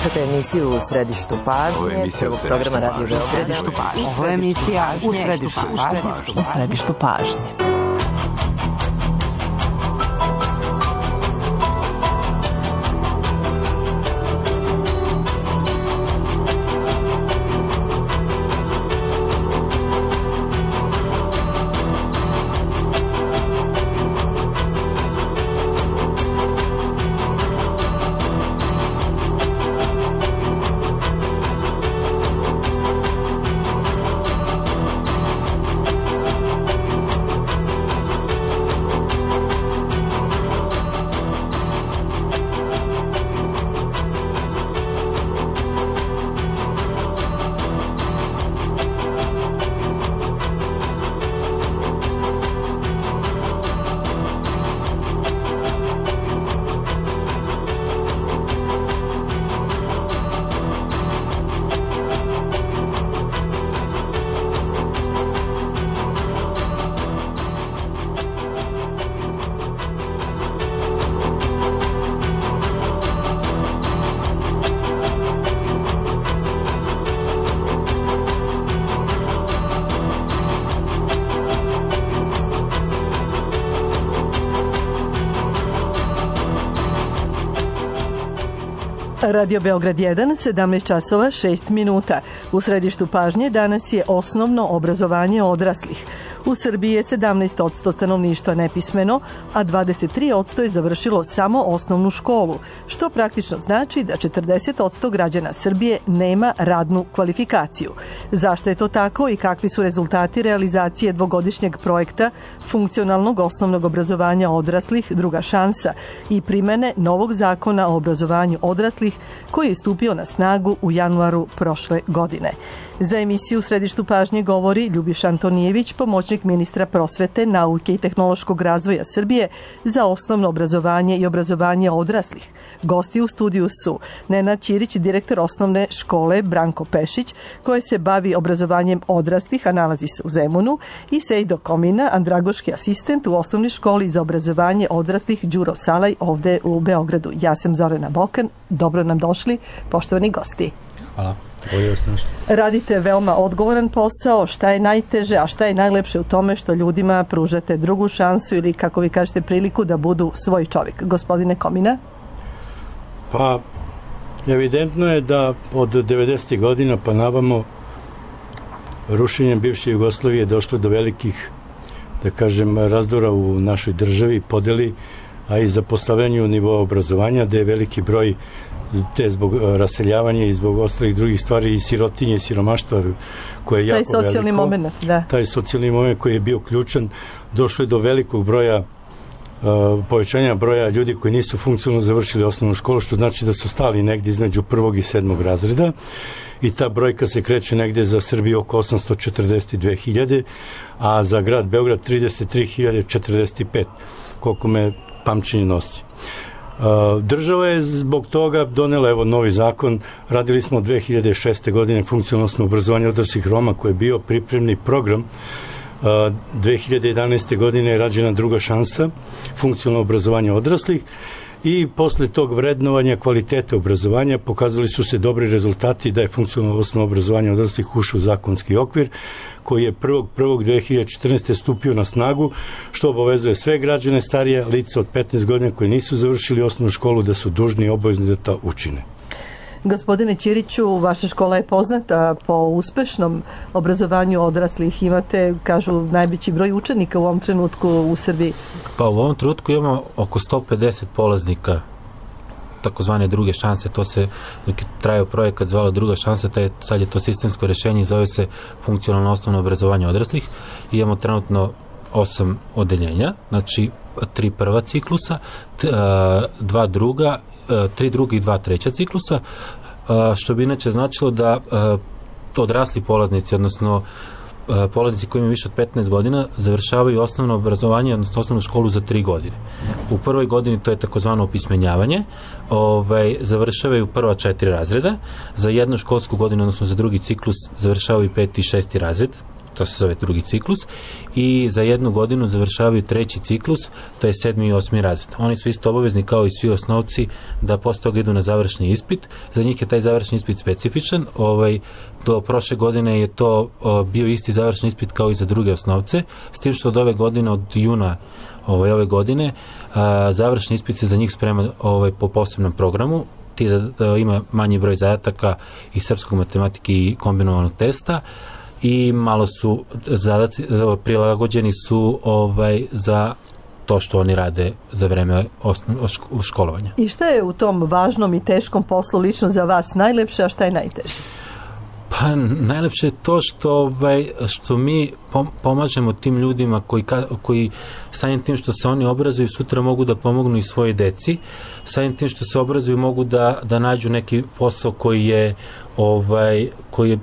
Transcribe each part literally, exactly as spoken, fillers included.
Slušate emisiju U središtu pažnje, prvog programa Radio Beograd. Ovo je emisija U središtu pažnje. U središtu pažnje. Radio Beograd jedan, sedamnaest časova šest minuta. U središtu pažnje danas je osnovno obrazovanje odraslih. U Srbiji je sedamnaest posto stanovništva nepismeno, a dvadeset tri posto je završilo samo osnovnu školu, što praktično znači da četrdeset posto građana Srbije nema radnu kvalifikaciju. Zašto je to tako i kakvi su rezultati realizacije dvogodišnjeg projekta funkcionalnog osnovnog obrazovanja odraslih Druga šansa i primene novog zakona o obrazovanju odraslih koji je stupio na snagu u januaru prošle godine. Za emisiju U središtu pažnje govori Ljubiša Antonijević, pomoćnik ministra prosvete, nauke i tehnološkog razvoja Srbije za osnovno obrazovanje i obrazovanje odraslih. Gosti u studiju su Nenad Ćirić, direktor osnovne škole Branko Pešić, koji se bavi obrazovanjem odraslih, a nalazi se u Zemunu, i Sejdo Komina, andragoški asistent u osnovnoj školi za obrazovanje odraslih Đuro Salaj ovde u Beogradu. Ja sam Zorana Bokan. Dobro nam došli, poštovani gosti. Hvala. Radite veoma odgovoran posao. Šta je najteže, a šta je najlepše u tome što ljudima pružate drugu šansu ili, kako vi kažete, priliku da budu svoj čovjek? Gospodine Komina? Pa, evidentno je da od devedesetih godina pa navamo rušenjem bivše Jugoslavije došlo do velikih, da kažem, razdora u našoj državi, podeli, a i zapostavljanju nivoa obrazovanja, da je veliki broj te zbog raseljavanja i zbog ostalih drugih stvari i sirotinje i siromaštva koje je jako veliko. Taj socijalni moment, da. Taj socijalni moment koji je bio ključan, došlo je do velikog broja uh, povećanja broja ljudi koji nisu funkcionalno završili osnovnu školu, što znači da su stali negdje između prvog i sedmog razreda i ta brojka se kreće negdje za Srbiju oko osamsto četrdeset dve hiljade, a za grad Beograd trideset tri hiljade četrdeset pet, koliko me pamćenje nosi. Država je zbog toga donela evo novi zakon. Radili smo od dve hiljade šeste. godine funkcionalno obrazovanje odraslih Roma, koji je bio pripremni program. dve hiljade jedanaeste. godine je rađena Druga šansa, funkcionalno obrazovanje odraslih, i posle tog vrednovanja kvalitete obrazovanja pokazali su se dobri rezultati da je funkcionalno osnovno obrazovanje odraslih ušao u zakonski okvir koji je prvog prvog dve hiljade četrnaeste. stupio na snagu, što obavezuje sve građane starije lica od petnaest godina koji nisu završili osnovnu školu da su dužni i obavezni da to učine. Gospodine Ćiriću, vaša škola je poznata po uspešnom obrazovanju odraslih. Imate, kažu, najveći broj učenika u ovom trenutku u Srbiji. Pa u ovom trenutku imamo oko sto pedeset polaznika takozvane druge šanse. To se, dok je trajao projekat, zvalo Druga šansa, taj, sad je to sistemsko rešenje i zove se funkcionalno osnovno obrazovanje odraslih. I imamo trenutno osam odeljenja, znači tri prva ciklusa, t, a, dva druga, a, tri druga i dva treća ciklusa, a, što bi inače značilo da a, odrasli polaznici, odnosno a, polaznici koji imaju više od petnaest godina, završavaju osnovno obrazovanje, odnosno osnovnu školu za tri godine. U prvoj godini to je takozvano opismenjavanje, ovaj, završavaju prva četiri razreda, za jednu školsku godinu, odnosno za drugi ciklus, završavaju peti i šesti razred, to se zove drugi ciklus, i za jednu godinu završavaju treći ciklus, to je sedmi i osmi razred. Oni su isto obavezni kao i svi osnovci da posle toga idu na završni ispit. Za njih je taj završni ispit specifičan. Ovaj, do prošle godine je to o, bio isti završni ispit kao i za druge osnovce, s tim što od ove godine, od juna ovaj, ove godine, a, završni ispit se za njih sprema ovaj, po posebnom programu. Ti za, da, ima manji broj zadataka i srpskog, matematike i kombinovanog testa, i malo su zadaci prilagođeni su ovaj za to što oni rade za vreme osno, školovanja. I šta je u tom važnom i teškom poslu lično za vas najlepše, a šta je najteže? Pa najlepše je to što, ovaj, što mi pomažemo tim ljudima koji, koji samim tim što se oni obrazuju sutra mogu da pomognu i svoje deci, samim tim što se obrazuju mogu da, da nađu neki posao koji je, ovaj, koji je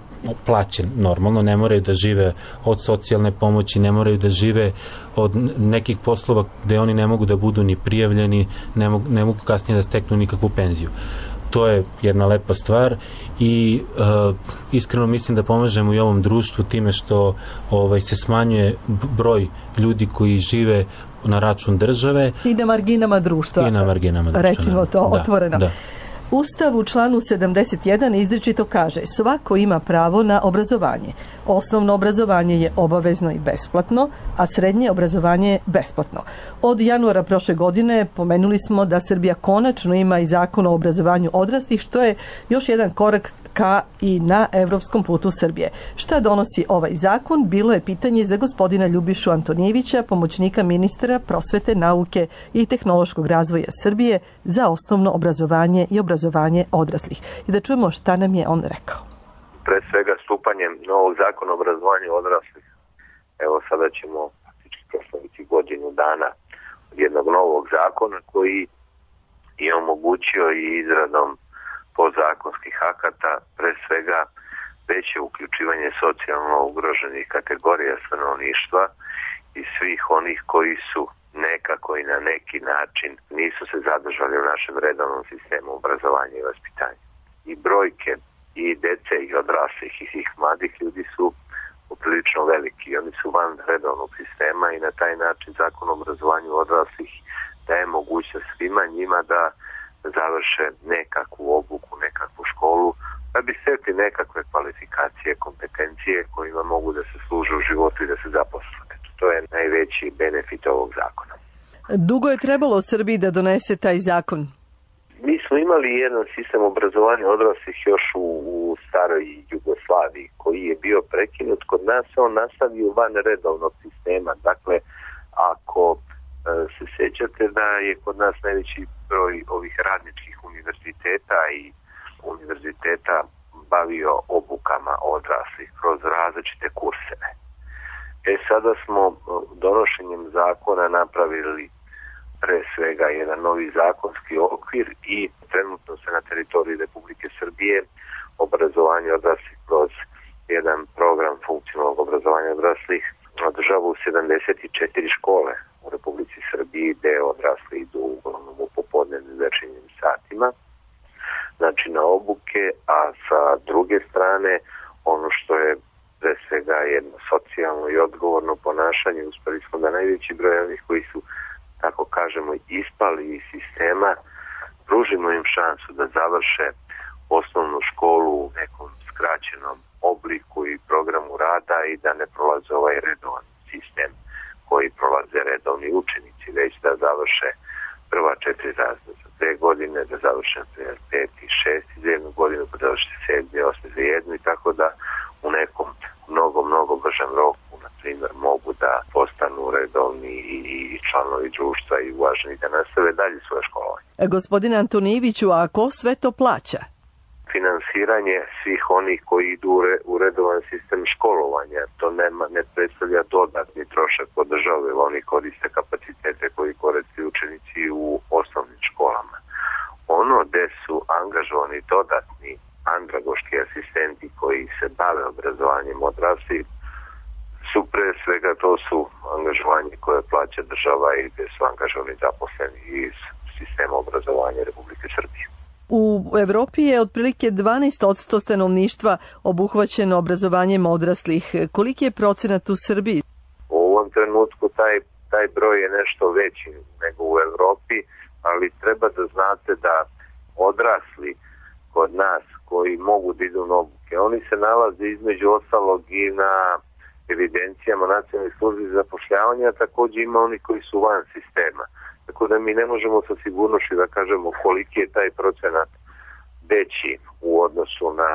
plaćen normalno, ne moraju da žive od socijalne pomoći, ne moraju da žive od nekih poslova gde oni ne mogu da budu ni prijavljeni, ne mogu, ne mogu kasnije da steknu nikakvu penziju. To je jedna lepa stvar i uh, iskreno mislim da pomažemo i ovom društvu time što ovaj, se smanjuje broj ljudi koji žive na račun države. I na marginama društva. I na marginama društva. Recimo to da, otvoreno. Da. Ustav u članu sedamdeset jedan izričito kaže: svako ima pravo na obrazovanje. Osnovno obrazovanje je obavezno i besplatno, a srednje obrazovanje je besplatno. Od januara prošle godine pomenuli smo da Srbija konačno ima i zakon o obrazovanju odraslih, što je još jedan korak ka i na evropskom putu Srbije. Šta donosi ovaj zakon? Bilo je pitanje za gospodina Ljubišu Antonijevića, pomoćnika ministra prosvete, nauke i tehnološkog razvoja Srbije za osnovno obrazovanje i obrazovanje odraslih. I da čujemo šta nam je on rekao. Pre svega stupanjem novog zakona o obrazovanju odraslih, evo sada ćemo praktički proslaviti godinu dana od jednog novog zakona koji je omogućio i izradom podzakonskih akata, pre svega veće uključivanje socijalno ugroženih kategorija stanovništva i svih onih koji su nekako i na neki način nisu se zadržali u našem redovnom sistemu obrazovanja i vaspitanja. I brojke i dece i odraslih i svih mladih ljudi su poprilično veliki. Oni su van redovnog sistema i na taj način zakon o obrazovanju odraslih daje mogućnost svima njima da završe nekakvu obuku, nekakvu školu, da bi stekli nekakve kvalifikacije, kompetencije kojima mogu da se služe u životu i da se zaposle. To je najveći benefit ovog zakona. Dugo je trebalo Srbiji da donese taj zakon? Mi smo imali jedan sistem obrazovanja odraslih još u, u staroj Jugoslaviji koji je bio prekinut. Kod nas on nastavio van redovnog sistema. Dakle, ako se sjećate da je kod nas najveći broj ovih radničkih univerziteta i univerziteta bavio obukama odraslih kroz različite kurseve. E sada smo donošenjem zakona napravili pre svega jedan novi zakonski okvir i trenutno se na teritoriji Republike Srbije obrazovanje odraslih kroz jedan program funkcionalnog obrazovanja odraslih održava u sedamdeset četiri škole u Republici Srbiji, gde odrasli idu uglavnom u popodnevnim večernjim satima, znači na obuke, a sa druge strane ono što je pre svega jedno socijalno i odgovorno ponašanje, uspeli smo da najveći broj onih koji su, tako kažemo, ispali iz sistema, pružimo im šansu da završe osnovnu školu u nekom skraćenom obliku i programu rada i da ne prolaze ovaj redovan sistem koji prolaze redovni učenici, već da završe prva četiri razreda za dve godine, da završe pet i šest za jednu godinu, pa da završe sedmi, osmi za jednu i tako da u nekom mnogo, mnogo bržem roku, na primjer, mogu da postanu redovni i, i članovi društva i uvaženi da nastave dalje svoje školovanje. Gospodine Antonijeviću, a ko sve to plaća? Finansiranje svih onih koji idu u redovan sistem školovanja. To nema, ne predstavlja dodatni trošak po državi, jer oni koriste kapacitete koji koriste učenici u osnovnim školama. Ono gde su angažovani dodatni andragoški asistenti koji se bave obrazovanjem odraslih su pre svega to su angažovanje koje plaća država i gde su angažovani zaposleni iz sistema obrazovanja Republike Srbije. U Evropi je otprilike dvanaest posto stanovništva obuhvaćeno obrazovanjem odraslih. Koliki je procenat u Srbiji? U ovom trenutku taj, taj broj je nešto veći nego u Evropi, ali treba da znate da odrasli kod nas koji mogu da idu na obuke, oni se nalaze između ostalog i na evidencijama nacionalnih službi za zapošljavanje, a također ima oni koji su van sistema. Tako da mi ne možemo sa sigurnošću da kažemo koliki je taj procenat veći u odnosu na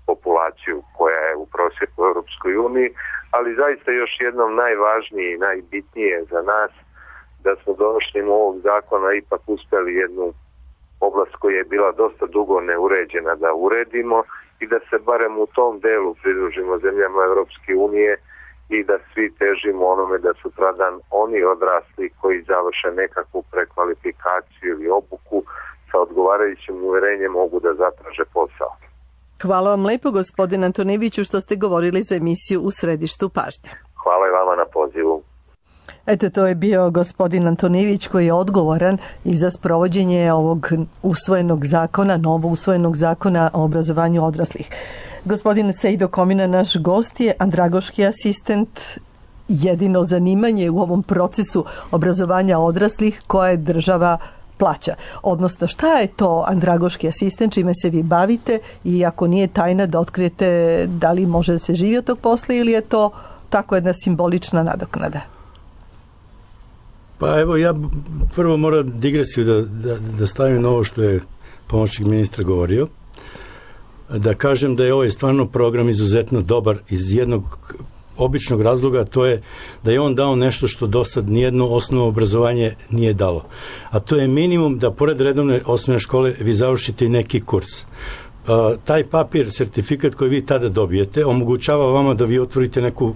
populaciju koja je u prosjeku u Europskoj uniji, ali zaista još jednom najvažnije i najbitnije za nas da smo donošenjem ovog zakona ipak uspjeli jednu oblast koja je bila dosta dugo neuređena da uredimo i da se barem u tom delu pridružimo zemljama Europske unije i da svi težimo onome da sutradan oni odrasli koji završe nekakvu prekvalifikaciju ili obuku sa odgovarajućim uverenjem mogu da zatraže posao. Hvala vam lepo, gospodin Antonijeviću, što ste govorili za emisiju U središtu pažnje. Hvala i vama na pozivu. Eto, to je bio gospodin Antonijević koji je odgovoran i za sprovođenje ovog usvojenog zakona, novo usvojenog zakona o obrazovanju odraslih. Gospodin Sejdo Komina, naš gost, je andragoški asistent, jedino zanimanje u ovom procesu obrazovanja odraslih koje država plaća. Odnosno, šta je to andragoški asistent, čime se vi bavite i ako nije tajna da otkrijete da li može da se živi od tog posla ili je to tako jedna simbolična nadoknada? Pa evo, ja prvo moram digresiju da, da, da stavim na ovo što je pomoćnik ministra govorio. Da kažem da je ovaj stvarno program izuzetno dobar iz jednog običnog razloga, to je da je on dao nešto što do sad nijedno osnovno obrazovanje nije dalo. A to je minimum da pored redovne osnovne škole vi završite i neki kurs. Uh, taj papir, sertifikat koji vi tada dobijete, omogućava vama da vi otvorite neku uh,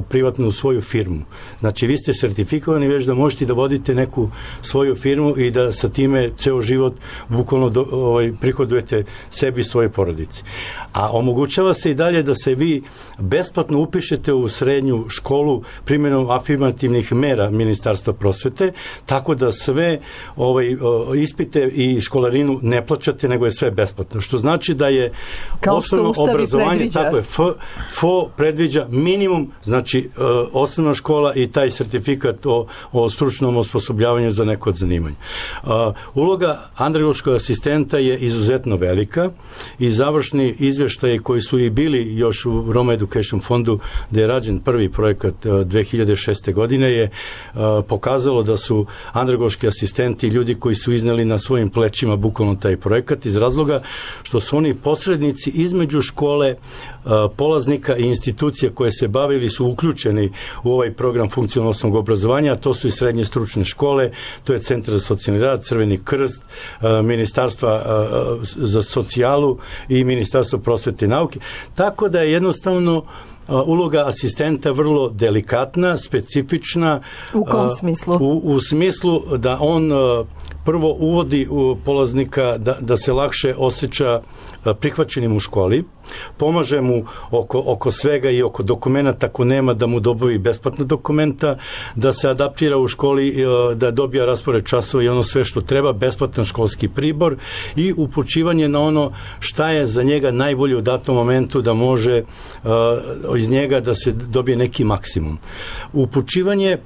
privatnu svoju firmu. Znači, vi ste sertifikovani već da možete da vodite neku svoju firmu i da sa time ceo život bukvalno do, ovaj, prihodujete sebi i svoje porodici. A omogućava se i dalje da se vi besplatno upišete u srednju školu primjenom afirmativnih mera Ministarstva prosvete, tako da sve ovaj, ispite i školarinu ne plaćate, nego je sve besplatno. Što znači da je osnovno obrazovanje, predviđa. Tako je, F, F O predviđa minimum, znači osnovna škola i taj sertifikat o, o stručnom osposobljavanju za neko od zanimanja. Uloga andragoškog asistenta je izuzetno velika i završni izveštaji koji su i bili još u Roma Education fondu, gde je rađen prvi projekat dve hiljade šeste. godine, je pokazalo da su andragoški asistenti ljudi koji su izneli na svojim plećima bukvalno taj projekat iz razloga što su oni posrednici između škole, polaznika i institucija koje se bavili su uključeni u ovaj program funkcionalnog osnovnog obrazovanja, a to su i srednje stručne škole, to je Centar za socijalni rad, Crveni krst, Ministarstva za socijalu i Ministarstvo prosvete i nauke. Tako da je jednostavno uloga asistenta vrlo delikatna, specifična. U kom smislu? U, u smislu da on prvo uvodi u polaznika da, da se lakše osjeća prihvaćenim u školi, pomaže mu oko, oko svega i oko dokumenta, ako nema da mu dobavi besplatna dokumenta, da se adaptira u školi, da dobija raspored časova i ono sve što treba, besplatan školski pribor i upućivanje na ono šta je za njega najbolje u datom momentu da može uh, iz njega da se dobije neki maksimum. Upućivanje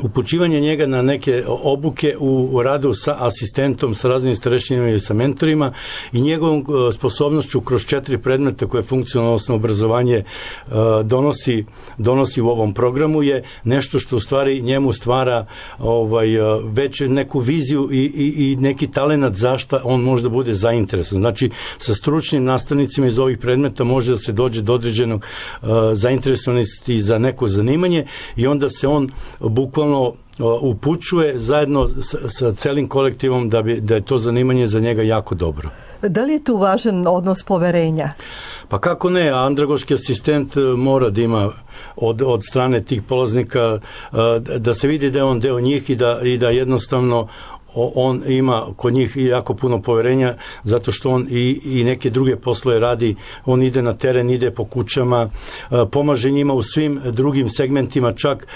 upućivanje njega na neke obuke u, u radu sa asistentom, sa raznim starešinima i sa mentorima i njegovom uh, sposobnošću kroz četiri predmeta koje funkcionalno osnovno obrazovanje uh, donosi, donosi u ovom programu je nešto što u stvari njemu stvara ovaj, uh, već neku viziju i, i, i neki talenat zašta on može da bude zainteresovan. Znači, sa stručnim nastavnicima iz ovih predmeta može da se dođe do određenog uh, zainteresovanosti za neko zanimanje i onda se on bukvalno upućuje zajedno sa, sa celim kolektivom da, bi, da je to zanimanje za njega jako dobro. Da li je tu važan odnos poverenja? Pa kako ne, andragoški asistent mora da ima od, od strane tih polaznika da se vidi da je on deo njih i da, i da jednostavno on ima kod njih jako puno poverenja zato što on i, i neke druge poslove radi, on ide na teren, ide po kućama, pomaže njima u svim drugim segmentima, čak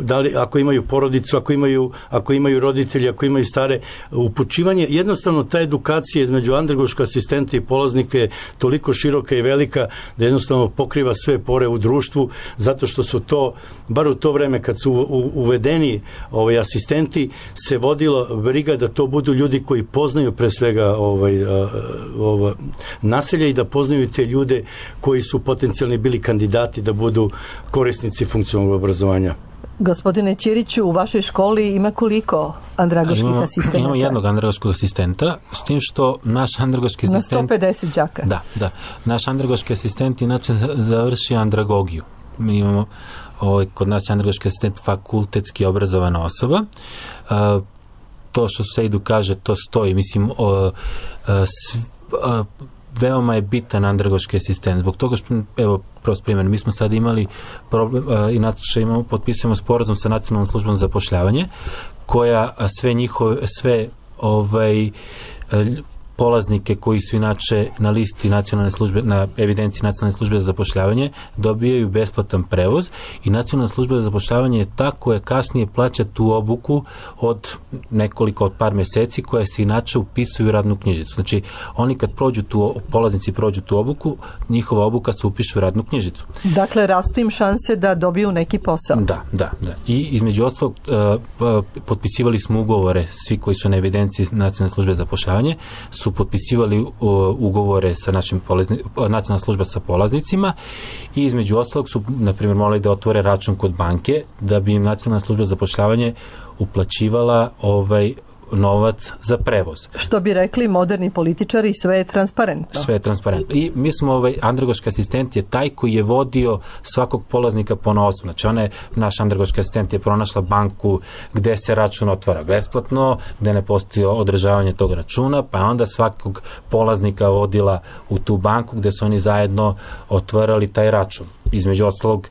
da li, ako imaju porodicu, ako imaju, ako imaju roditelji, ako imaju stare, upućivanje, jednostavno ta edukacija između andragoškog asistenta i polaznika je toliko široka i velika da jednostavno pokriva sve pore u društvu, zato što su to, bar u to vreme kad su uvedeni ovaj, asistenti, se vodilo briga da to budu ljudi koji poznaju pre svega ovaj, ovaj, naselja i da poznaju te ljude koji su potencijalni bili kandidati da budu korisnici funkcionalnog obrazovanja. Gospodine Ćiriću, u vašoj školi ima koliko andragoških imamo, asistenta? Imamo jednog andragoškog asistenta, s tim što naš andragoški asistent... Na sto pedeset đaka? Da, da. Naš andragoški asistent inače završi andragogiju. Mi imamo, ovaj, kod nas je andragoški asistent fakultetski obrazovana osoba. Uh, to što Sejdu kaže, to stoji. Mislim, o, o, s, o, veoma je bitan andragoški asistent. Zbog toga što, evo, prost primjer, mi smo sad imali problem, uh, inače imamo, potpisujemo sporazum sa Nacionalnom službom za zapošljavanje, koja sve njihove, sve ovaj, polaznike koji su inače na listi nacionalne službe, na evidenciji Nacionalne službe za zapošljavanje, dobijaju besplatan prevoz i Nacionalna služba za zapošljavanje je ta koja kasnije plaća tu obuku od nekoliko, od par meseci, koja se inače upisuju u radnu knjižicu. Znači, oni kad prođu tu, polaznici prođu tu obuku, njihova obuka se upiše u radnu knjižicu. Dakle, rastu im šanse da dobiju neki posao. Da, da, da. I između ostalog uh, potpisivali smo ugovore, svi koji su na evidenciji Nacionalne službe za zapošljavanje, su potpisivali uh, ugovore sa našim polazni, Nacionalna služba sa polaznicima i između ostalog su, na primjer, morali da otvore račun kod banke da bi im Nacionalna služba za zapošljavanje uplaćivala ovaj novac za prevoz. Što bi rekli moderni političari, sve je transparentno. Sve je transparentno. I mi smo, ovaj, andragoški asistent je taj koji je vodio svakog polaznika ponaosob. Znači, ona je, naš andragoški asistent je pronašla banku gde se račun otvara besplatno, gde ne postoji održavanje tog računa, pa onda svakog polaznika vodila u tu banku gde su oni zajedno otvarali taj račun. Između ostalog,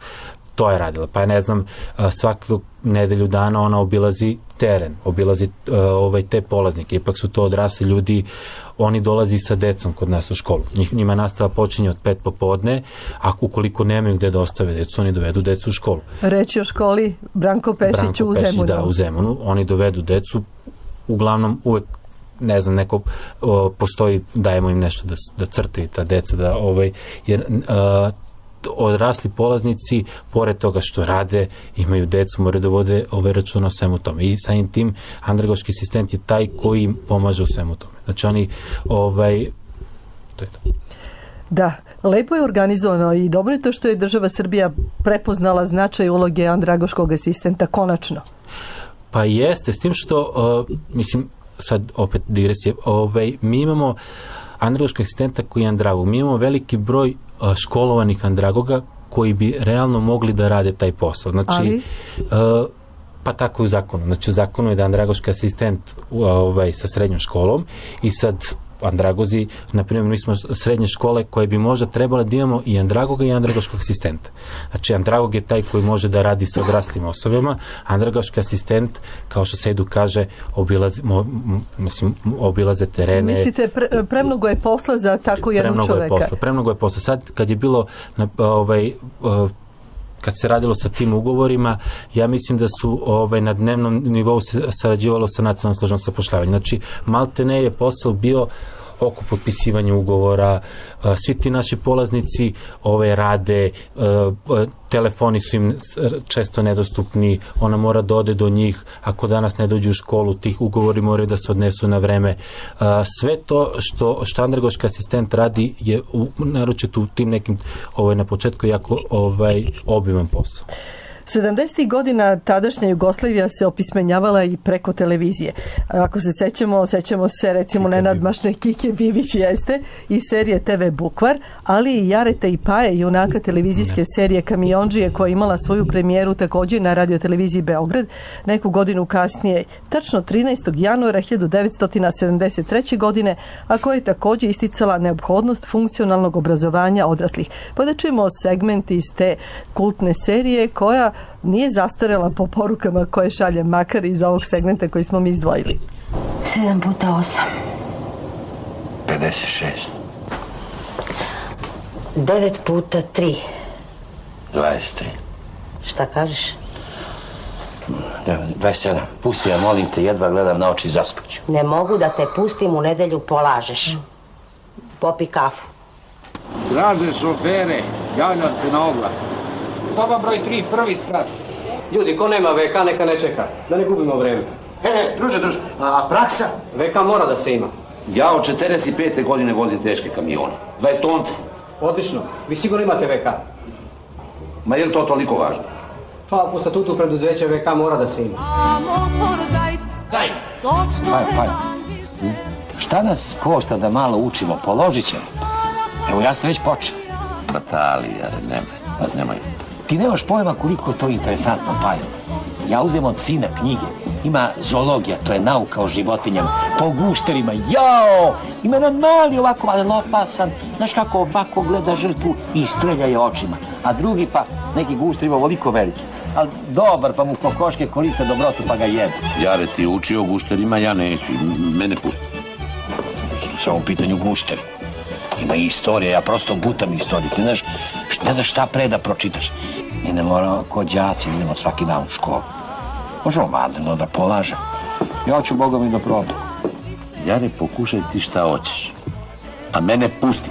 to je radila. Pa ne znam, svaku nedelju dana ona obilazi teren, obilazi uh, ovaj, te polaznike. Ipak su to odrasli ljudi, oni dolazi sa decom kod nas u školu. Njih, njima nastava počinje od pet popodne, a ukoliko nemaju gde da ostave decu, oni dovedu decu u školu. Reći o školi Branko Pešić u Zemunu. Da, u Zemunu. Oni dovedu decu, uglavnom uvek ne znam, neko o, postoji, dajemo im nešto da, da crtaju ta deca, da ovaj, jer uh, odrasli polaznici, pored toga što rade, imaju decu, moraju da vode ove računa o svemu tome. I samim tim andragoški asistent je taj koji im pomaže u svemu tome. Znači oni, ovaj, to je to. Da, lepo je organizovano i dobro je to što je država Srbija prepoznala značaj uloge andragoškog asistenta konačno. Pa jeste, s tim što, uh, mislim, sad opet digresije, ovaj, mi imamo andragoškog asistenta koji je andragog. Mi imamo veliki broj uh, školovanih andragoga koji bi realno mogli da rade taj posao. Znači, Ali? Uh, pa tako u zakonu. Znači, u zakonu je da andragoški asistent uh, ovaj, sa srednjom školom i sad andragozi, na primjer, mi smo srednje škole koje bi možda trebale da imamo i andragoga i andragoškog asistenta. Znači, andragog je taj koji može da radi sa odraslim osobama, andragoški asistent, kao što Sejdu kaže, obilaze, mo, mislim, obilaze terene. Mislite, pre, premnogo je posla za tako jednog premnogo čoveka? Je posla, premnogo je posla. Sad, kad je bilo na, ovaj, uh, kad se radilo sa tim ugovorima, ja mislim da su ovaj, na dnevnom nivou se sarađivalo sa Nacionalnom službom za zapošljavanje. Znači, maltene je posao bio oko potpisivanja ugovora, svi ti naši polaznici ove rade, telefoni su im često nedostupni, ona mora da ode do njih, ako danas ne dođu u školu, tih ugovori moraju da se odnesu na vreme. Sve to što, što andragoški asistent radi je u, naročito u tim nekim ovaj, na početku jako ovaj, obiman posao. sedamdesetih godina tadašnja Jugoslavija se opismenjavala i preko televizije. Ako se sećamo, sećamo se recimo nenadmašne Kike Bibić jeste i serije te ve Bukvar, ali i Jareta i Paje, junaka televizijske serije Kamiondžije, koja je imala svoju premijeru također na radioteleviziji Beograd neku godinu kasnije, tačno trinaestog januara hiljadu devetsto sedamdeset treće. godine, a koja je također isticala neophodnost funkcionalnog obrazovanja odraslih. Pa da čujemo segment iz te kultne serije koja nije zastarela po porukama koje šalje makar iz ovog segmenta koji smo mi izdvojili. Sedam puta osam. pedeset šest. Devet puta tri. dvadeset tri. Šta kažeš? dvadeset sedam. Pusti ja, molim te, jedva gledam na oči, zaspaću. Ne mogu da te pustim, u nedelju polažeš. Popi kafu. Draže šofere, javljam se na oglas. Soba broj tri, prvi sprat. Ljudi, ko nema ve ka, neka ne čeka. Da ne gubimo vreme. E, druže, druže, a praksa? ve ka mora da se ima. Ja od četrdeset pete godine vozim teške kamione. dvadeset tonce. Odlično. Vi sigurno imate ve ka. Ma je li to toliko važno? Pa, po statutu preduzeća ve ka mora da se ima. Daj! Paj, paj. Šta nas košta da malo učimo? Položit ćemo. Evo, ja sam već počeo. Batalija, nemoj, pa nemoj. Ti nemaš pojma koliko je to interesantno, Pajo. Ja uzem od sina knjige. Ima zoologija, to je nauka o životinjama. Po gušterima, jao! Ima jedan mali ovako, ali opasan. Znaš kako ovako gleda žrtvu i strelja je očima. A drugi pa, neki gušter ima ovoliko veliki. Ali dobar, pa mu kokoške koriste dobrotu, pa ga jedu. Jare, ti uči o gušterima, ja neću. Mene pusti. Samo u pitanju gušteri. Ima i istorija, ja prosto gutam istoriju. Ti znaš, ne znaš šta pre da pročitaš. Mi ne moramo kod đaci, idemo svaki dan u školu. Možemo vanredno da polažem. Ja ću Boga mi da probam. Jare, pokušaj ti šta hoćeš. A mene pusti.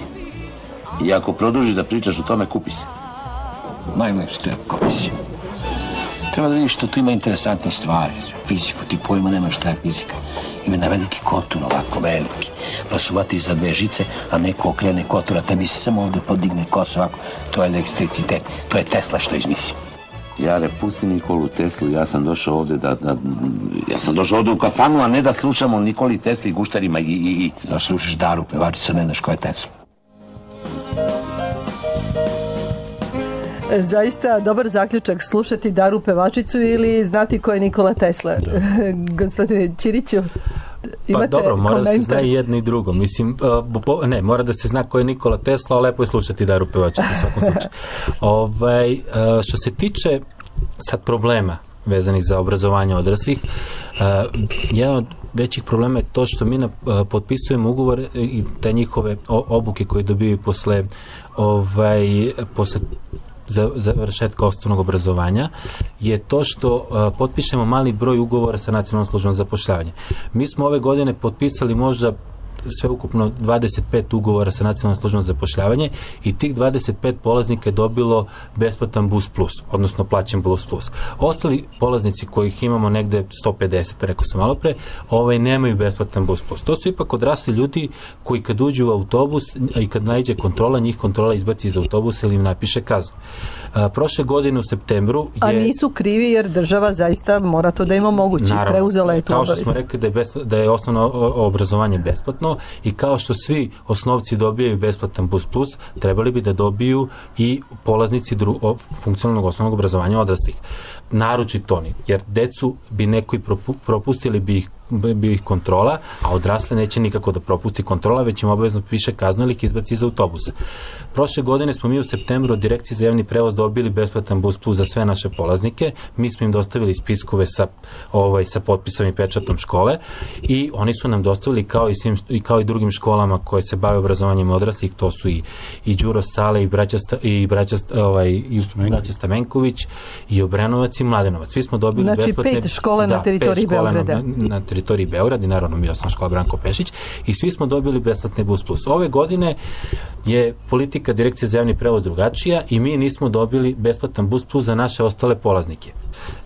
I ako produžiš da pričaš o tome, kupi se. Najlepše treba, kupi se. Treba da vidiš što tu ima interesantne stvari. Fiziku, ti pojma nemaš šta je fizika. Ima na veliki kotur, ovako veliki. Pa su vatri za dve žice, a neko okrene kotura, tebi se samo ovde podigne kosa ovako. To je elektricitet, to je Tesla što izmisli. Jare, pusti Nikolu Teslu, ja sam došao ovde da, da... Ja sam došao ovde u kafanu, a ne da slušamo Nikoli Tesli, guštarima i... i, i... Da slušaš Daru, pevačica, ne znaš ko je Tesla. Zaista dobar zaključak slušati Daru pevačicu ili znati ko je Nikola Tesla. Gospodine Ćiriću, imate pa dobro, mora komentar? Da se zna i jedno i drugo. Mislim, uh, ne, mora da se zna ko je Nikola Tesla, a lepo je slušati Daru pevačicu u svakom slučaju. ovaj, uh, što se tiče sad problema vezanih za obrazovanje odraslih, uh, jedan od većih problema je to što mi na, uh, potpisujemo ugovor i te njihove obuke koje dobiju posle ovaj, posle završetka osnovnog obrazovanja je to što uh, potpišemo mali broj ugovora sa Nacionalnom službom za zapošljavanje. Mi smo ove godine potpisali možda sve ukupno dvadeset pet ugovora sa Nacionalnom službom za zapošljavanje i tih dvadeset pet polaznika je dobilo besplatan bus plus, odnosno plaćen bus plus. Ostali polaznici kojih imamo negde sto pedeset, rekao sam malo pre, ovaj, nemaju besplatan bus plus. To su ipak odrasli ljudi koji kad uđu u autobus i kad naiđe kontrola, njih kontrola izbaci iz autobusa ili im napiše kaznu. A, prošle godine u septembru je... A nisu krivi jer država zaista mora to da im omogući. Naravno, preuzela je to kao što obavez. smo rekli da je, bespl- da je osnovno obrazovanje besplatno i kao što svi osnovci dobijaju besplatan bus plus, trebali bi da dobiju i polaznici dru- o, funkcionalnog osnovnog obrazovanja odraslih. Naročito oni, jer decu bi neko i propu- propustili bi ih bi ih kontrola, a odrasle neće nikako da propusti kontrola, već im obavezno piše kaznu ili ih izbaci iz autobusa. Prošle godine smo mi u septembru od Direkcije za javni prevoz dobili besplatan bus plus za sve naše polaznike. Mi smo im dostavili spiskove sa, ovaj, sa potpisom i pečatom škole i oni su nam dostavili kao i, svim, i kao i drugim školama koje se bave obrazovanjem odraslih, to su i, i Đuro Sale i braća, i braća, ovaj, i braća Stamenković i Obrenovac i Mladenovac. Svi smo dobili znači, besplatne... pet škola da, na teritoriji Beograda. Na, na teritoriji Beograda i naravno mi osnovna škola Branko Pešić i svi smo dobili besplatne bus plus. Ove godine je politika Direkcije za javni prevoz drugačija i mi nismo dobili besplatan bus plus za naše ostale polaznike.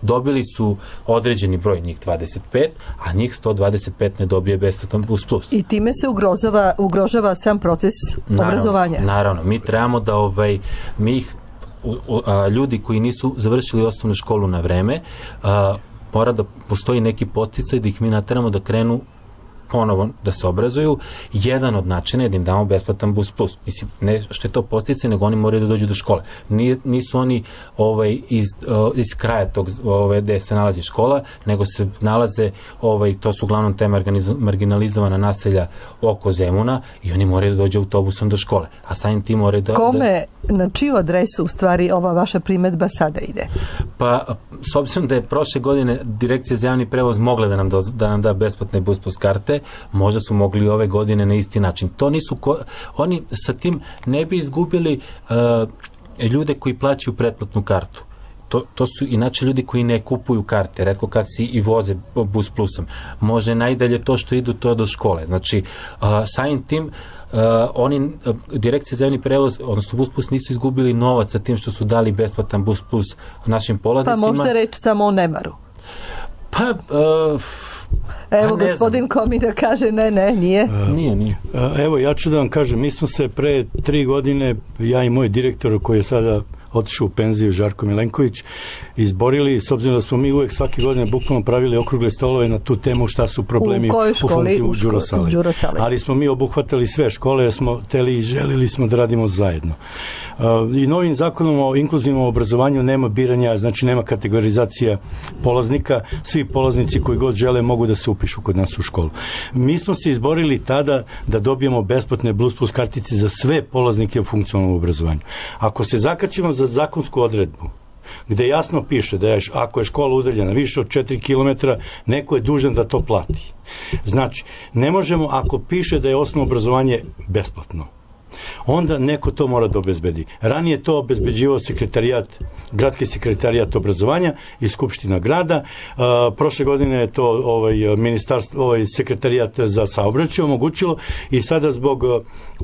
Dobili su određeni broj, njih dvadeset pet, a njih sto dvadeset pet ne dobije besplatan bus plus. I time se ugrozava, ugrožava sam proces naravno, obrazovanja. Naravno, mi trebamo da ovaj, mi ih, a, ljudi koji nisu završili osnovnu školu na vreme, a, mora da postoji neki podsticaj da ih mi nateramo da krenu ponovo da se obrazuju, jedan od načina je da im damo besplatan bus plus. Mislim, ne što je to postice, nego oni moraju da dođu do škole. Nije, nisu oni ovaj, iz, iz kraja tog ovaj, gde se nalazi škola, nego se nalaze, ovaj, to su uglavnom te marginalizovana naselja oko Zemuna i oni moraju da dođu autobusom do škole. A samim tim moraju da... Kome, da... na čiju adresu u stvari ova vaša primedba sada ide? Pa, s obzirom da je prošle godine Direkcija za javni prevoz mogla da nam, do, da nam da besplatne bus plus karte, možda su mogli ove godine na isti način. To nisu, ko, oni sa tim ne bi izgubili uh, ljude koji plaćaju pretplatnu kartu. To, to su inače ljudi koji ne kupuju karte, retko kad si i voze bus plusom. Može najdalje to što idu to do škole. Znači, uh, samim tim Uh, oni, uh, Direkcija za javni prevoz, odnosno bus plus, nisu izgubili novac sa tim što su dali besplatan bus plus našim polaznicima. Pa možda reći samo o nemaru. Pa, uh, Evo, pa gospodin Komina kaže ne, ne, nije. Uh, nije, nije. Uh, evo, ja ću da vam kažem, mi smo se pre tri godine, ja i moj direktor koji je sada otišao u penziju, Žarko Milenković, izborili, s obzirom da smo mi uvek svake godine bukvalno pravili okrugle stolove na tu temu šta su problemi u, u funkciji u Đurosali. Đurosali. Ali smo mi obuhvatali sve škole, jer smo teli i želili smo da radimo zajedno. Uh, I novim zakonom o inkluzivnom obrazovanju nema biranja, znači nema kategorizacija polaznika, svi polaznici koji god žele mogu da se upišu kod nas u školu. Mi smo se izborili tada da dobijemo besplatne bus plus kartice za sve polaznike u funkcionalnom obrazovanju. Ako se zakačimo za zakonsku odredbu, gde jasno piše da je, ako je škola udaljena više od četiri kilometra, neko je dužan da to plati. Znači, ne možemo, ako piše da je osnovno obrazovanje besplatno, onda neko to mora da obezbedi. Ranije to obezbeđivao sekretarijat, gradski sekretarijat obrazovanja i Skupština grada. Uh, prošle godine je to ovaj ministarstvo, ovaj sekretarijat za saobraćaj omogućilo i sada zbog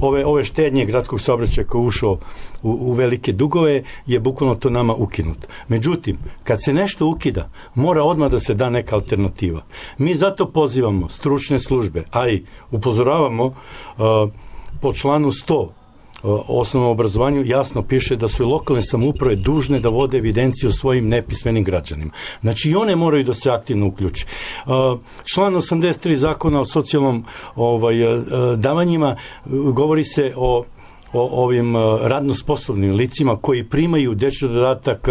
ove ove štednje gradskog saobraćaja koji je ušao u, u velike dugove je bukvalno to nama ukinuto. Međutim, kad se nešto ukida, mora odmah da se da neka alternativa. Mi zato pozivamo stručne službe, a i upozoravamo uh, po članu sto o osnovnom obrazovanju jasno piše da su i lokalne samouprave dužne da vode evidenciju o svojim nepismenim građanima. Znači i one moraju da se aktivno uključe. Član osamdeset tri zakona o socijalnom ovaj, davanjima govori se o o ovim radno sposobnim licima koji primaju dečji dodatak,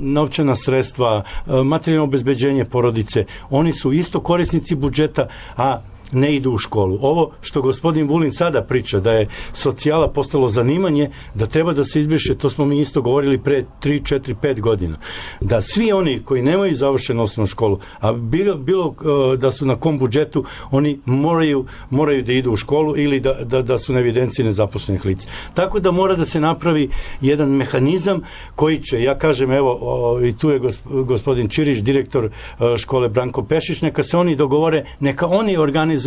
novčana sredstva, materijalno obezbeđenje porodice. Oni su isto korisnici budžeta, a ne idu u školu. Ovo što gospodin Vulin sada priča, da je socijala postalo zanimanje, da treba da se izbriše, to smo mi isto govorili pre tri, četiri, pet godina. Da svi oni koji nemaju završenu osnovnu školu, a bilo, bilo da su na kom budžetu, oni moraju, moraju da idu u školu ili da, da, da su na evidenciji nezaposlenih lica. Tako da mora da se napravi jedan mehanizam koji će, ja kažem, evo, o, i tu je gospodin Čirić, direktor škole Branko Pešić, neka se oni dogovore, neka oni organizuju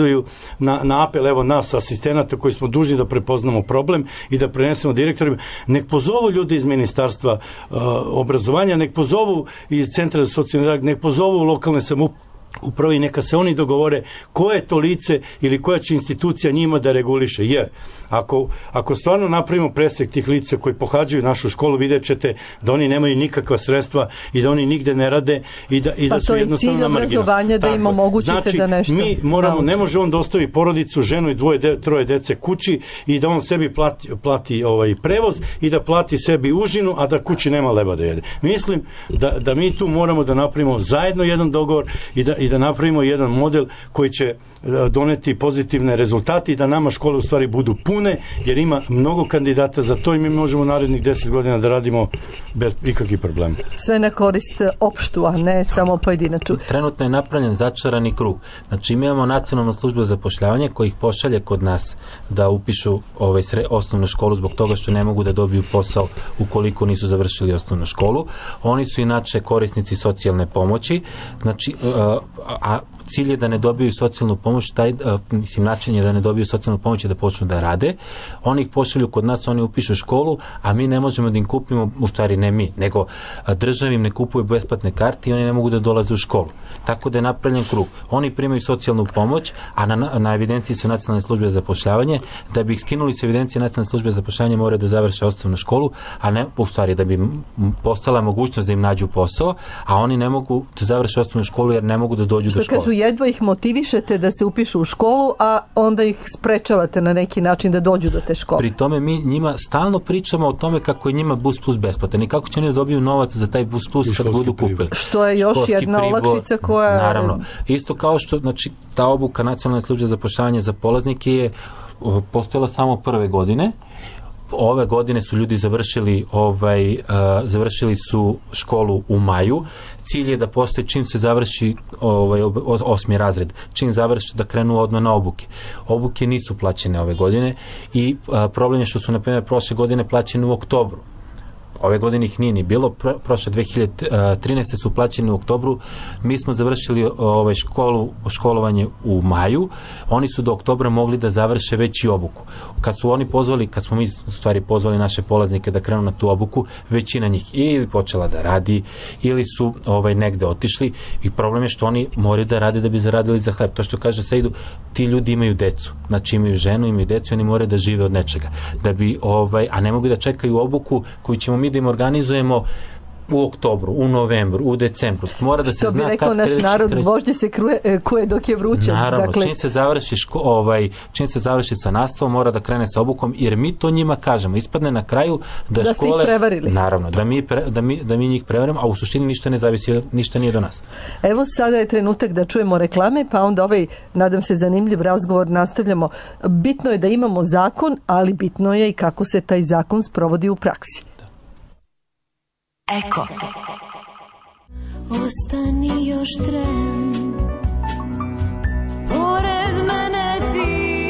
Na, na apel evo nas asistenata koji smo dužni da prepoznamo problem i da prenesemo direktorima, nek pozovu ljudi iz ministarstva uh, obrazovanja, nek pozovu iz centra za socijalni rad, nek pozovu lokalne samouprave, upravo i neka se oni dogovore koje to lice ili koja će institucija njima da reguliše, jer ako, ako stvarno napravimo presek tih lica koji pohađaju našu školu, vidjet ćete da oni nemaju nikakva sredstva i da oni nigde ne rade i da, i da pa su jednostavno na marginu. Pa to je cilj obrazovanja da im omogućite znači, da nešto... mi moramo, ne može on da ostavi porodicu, ženu i dvoje, de, troje dece kući i da on sebi plati, plati ovaj prevoz i da plati sebi užinu, a da kući nema leba da jede. Mislim da, da mi tu moramo da napravimo zajedno jedan dogovor i da i da napravimo jedan model koji će doneti pozitivne rezultate i da nama škole u stvari budu pune, jer ima mnogo kandidata za to i mi možemo narednih deset godina da radimo bez ikakvih problema. Sve na korist opštu, a ne samo pojedinaču. Trenutno je napravljen začarani krug. Znači mi imamo nacionalnu službu za zapošljavanje koji ih pošalje kod nas da upišu ovaj sre, osnovnu školu zbog toga što ne mogu da dobiju posao ukoliko nisu završili osnovnu školu. Oni su inače korisnici socijalne pomoći. Znači, a, a cilj je da ne dobiju socijalnu pomoć, taj, a, mislim, način je da ne dobiju socijalnu pomoć i da počnu da rade. Oni ih pošalju kod nas, oni upišu školu, a mi ne možemo da im kupimo, u stvari ne mi, nego država im ne kupuje besplatne karte i oni ne mogu da dolaze u školu. Tako da je napravljen krug. Oni primaju socijalnu pomoć, a na, na evidenciji su nacionalne službe za zapošljavanje. Da bi ih skinuli sa evidencije nacionalne službe za zapošljavanje moraju da završe osnovnu školu, a ne, u stvari, da bi postala mogućnost da im nađu posao, a oni ne mogu da završe osnovnu školu jer ne mogu da dođu što do škole. Kažu, jedva ih motivišete da se upišu u školu, a onda ih sprečavate na neki način da dođu do te škole. Pri tome mi njima stalno pričamo o tome kako je njima Bus Plus besplatan i kako će oni da dobiju novac za taj Bus Plus kad budu kupili. Što je još školski jedna pribor, olakšica koja... Naravno. Isto kao što, znači, ta obuka Nacionalne službe za zapošljavanje za polaznike je postojala samo prve godine. Ove godine su ljudi završili ovaj uh, završili su školu u maju. Cilj je da posle čim se završi ovaj osmi razred, čim završi da krenu odmah na obuke. Obuke nisu plaćene ove godine i uh, problem je što su na primjer prošle godine plaćene u oktobru. Ove godine ih nije ni bilo, Pro, prošle dve hiljade trinaeste su plaćeni u oktobru, mi smo završili ovaj, školu, školovanje u maju, oni su do oktobra mogli da završe već i obuku. Kad su oni pozvali, kad smo mi u stvari pozvali naše polaznike da krenu na tu obuku, većina njih ili počela da radi, ili su ovaj, negde otišli i problem je što oni moraju da rade da bi zaradili za hleb. To što kaže Sejdu, ti ljudi imaju decu, znači imaju ženu, imaju decu, oni moraju da žive od nečega. Da bi, ovaj, a ne mogu da čekaju obuku koju ćemo mi da im organizujemo u oktobru, u novembru, u decembru. Mora da se što zna bi rekao naš narod, kreće. Vožđe se kruje, kuje dok je vruće. Naravno, dakle... čim se završi ško, ovaj, čim se završi sa nastavom, mora da krene sa obukom, jer mi to njima kažemo. Ispadne na kraju da, da škole... ste ih prevarili. Naravno, da mi, pre, da, mi, da mi njih prevarimo, a u suštini ništa ne zavisi, ništa nije do nas. Evo sada je trenutak da čujemo reklame, pa onda ovaj, nadam se, zanimljiv razgovor nastavljamo. Bitno je da imamo zakon, ali bitno je i kako se taj zakon sprovodi u praksi. Eko. Ostani još tren, pored mene ti,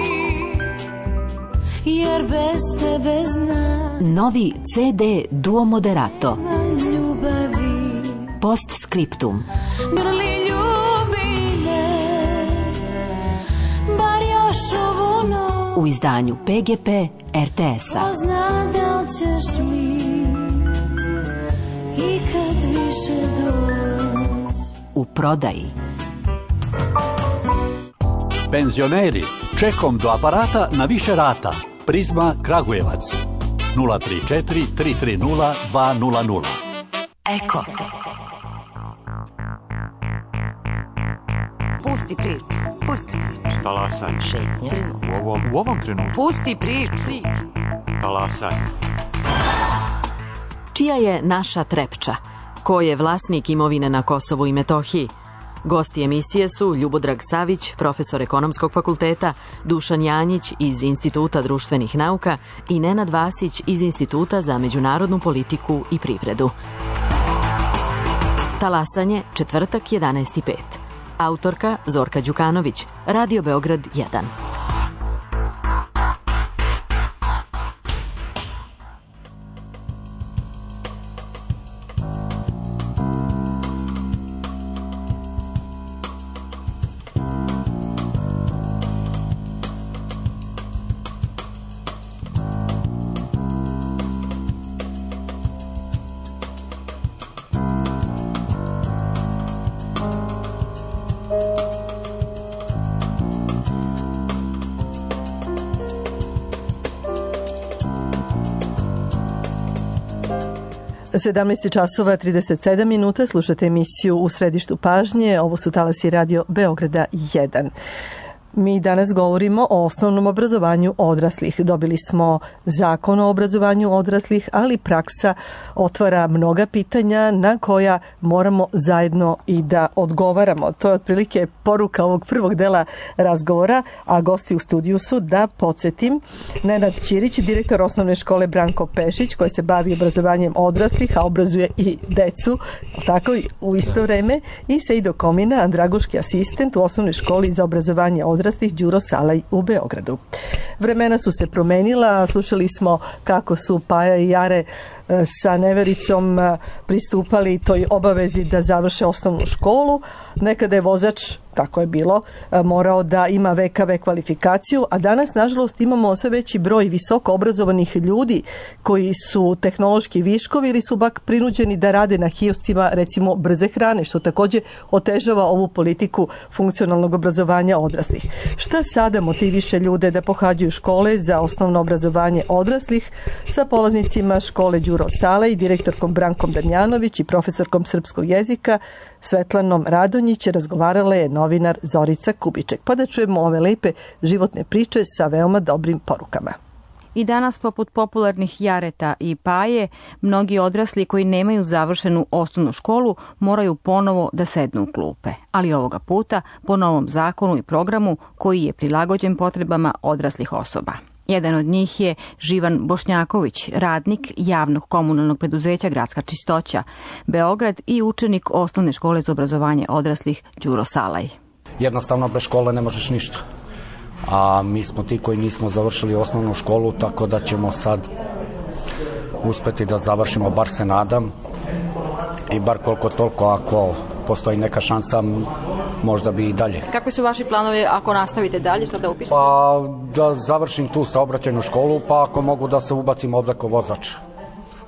jer bez tebe znam. Novi ce de Duo Moderato. Postscriptum. Grli ljubine, bar još ovu noć. U izdanju pe ge pe er te es-a. Zna da li ćeš mi i kad više doći. U prodaji. Penzioneri, čekom do aparata na više rata. Prizma Kragujevac. nula tri četiri tri tri nula dva nula nula. Eko. Pusti priču. Pusti priču. Talasanje. Šetnja. U ovom, u ovom trenutku. Pusti priču. Talasanje. Čija je naša Trepča? Ko je vlasnik imovine na Kosovu i Metohiji? Gosti emisije su Ljubodrag Savić, profesor Ekonomskog fakulteta, Dušan Janjić iz Instituta društvenih nauka i Nenad Vasić iz Instituta za međunarodnu politiku i privredu. Talasanje, četvrtak, jedanaest i pet. Autorka Zorka Đukanović, Radio Beograd jedan. sedamnaest časova trideset sedam minuta, slušate emisiju U središtu pažnje, ovo su talasi Radio Beograda jedan. Mi danas govorimo o osnovnom obrazovanju odraslih. Dobili smo zakon o obrazovanju odraslih, ali praksa otvara mnoga pitanja na koja moramo zajedno i da odgovaramo. To je otprilike poruka ovog prvog dela razgovora, a gosti u studiju su, da podsjetim, Nenad Ćirić, direktor osnovne škole Branko Pešić, koji se bavi obrazovanjem odraslih, a obrazuje i decu, tako u isto vreme, i Sejdo Komina, andragoški asistent u osnovnoj školi za obrazovanje odraslih Đuro Salaj u Beogradu. Vremena su se promenila, slušali smo kako su Paja i Jare sa nevericom pristupali toj obavezi da završe osnovnu školu. Nekada je vozač, tako je bilo, morao da ima ve ka ve kvalifikaciju, a danas, nažalost, imamo sve veći broj visoko obrazovanih ljudi koji su tehnološki viškovi ili su bak prinuđeni da rade na kioscima, recimo, brze hrane, što također otežava ovu politiku funkcionalnog obrazovanja odraslih. Šta sada motiviše ljude da pohađaju škole za osnovno obrazovanje odraslih? Sa polaznicima škole Đuro Salaj, direktorkom Brankom Damjanović i profesorkom srpskog jezika Svetlanom Radonjić razgovarala je novinar Zorica Kubiček. Pa da čujemo ove lepe životne priče sa veoma dobrim porukama. I danas, poput popularnih Jareta i Paje, mnogi odrasli koji nemaju završenu osnovnu školu moraju ponovo da sednu u klupe. Ali ovoga puta po novom zakonu i programu koji je prilagođen potrebama odraslih osoba. Jedan od njih je Živan Bošnjaković, radnik javnog komunalnog preduzeća Gradska čistoća Beograd i učenik osnovne škole za obrazovanje odraslih Đuro Salaj. Jednostavno bez škole ne možeš ništa. A mi smo ti koji nismo završili osnovnu školu, tako da ćemo sad uspeti da završimo, bar se nadam, i bar koliko toliko, ako postoji neka šansa, možda bi i dalje. Kakvi su vaši planovi ako nastavite dalje, što da upišete? Pa da završim tu saobraćajnu školu, pa ako mogu da se ubacim ovdje kao vozač,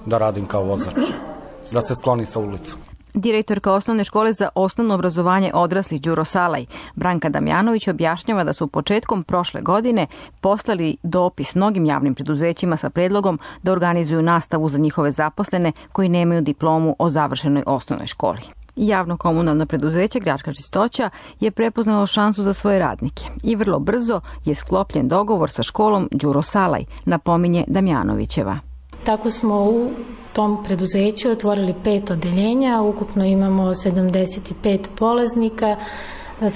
da radim kao vozač, da se sklonim sa ulicu. Direktorka osnovne škole za osnovno obrazovanje odraslih Đuro Salaj, Branka Damjanović, objašnjava da su početkom prošle godine poslali dopis mnogim javnim preduzećima sa predlogom da organizuju nastavu za njihove zaposlene koji nemaju diplomu o završenoj osnovnoj školi. Javno komunalno preduzeće Gradska čistoća je prepoznalo šansu za svoje radnike i vrlo brzo je sklopljen dogovor sa školom Đuro Salaj, napominje Damjanovićeva. Tako smo u tom preduzeću otvorili pet odeljenja, ukupno imamo sedamdeset pet polaznika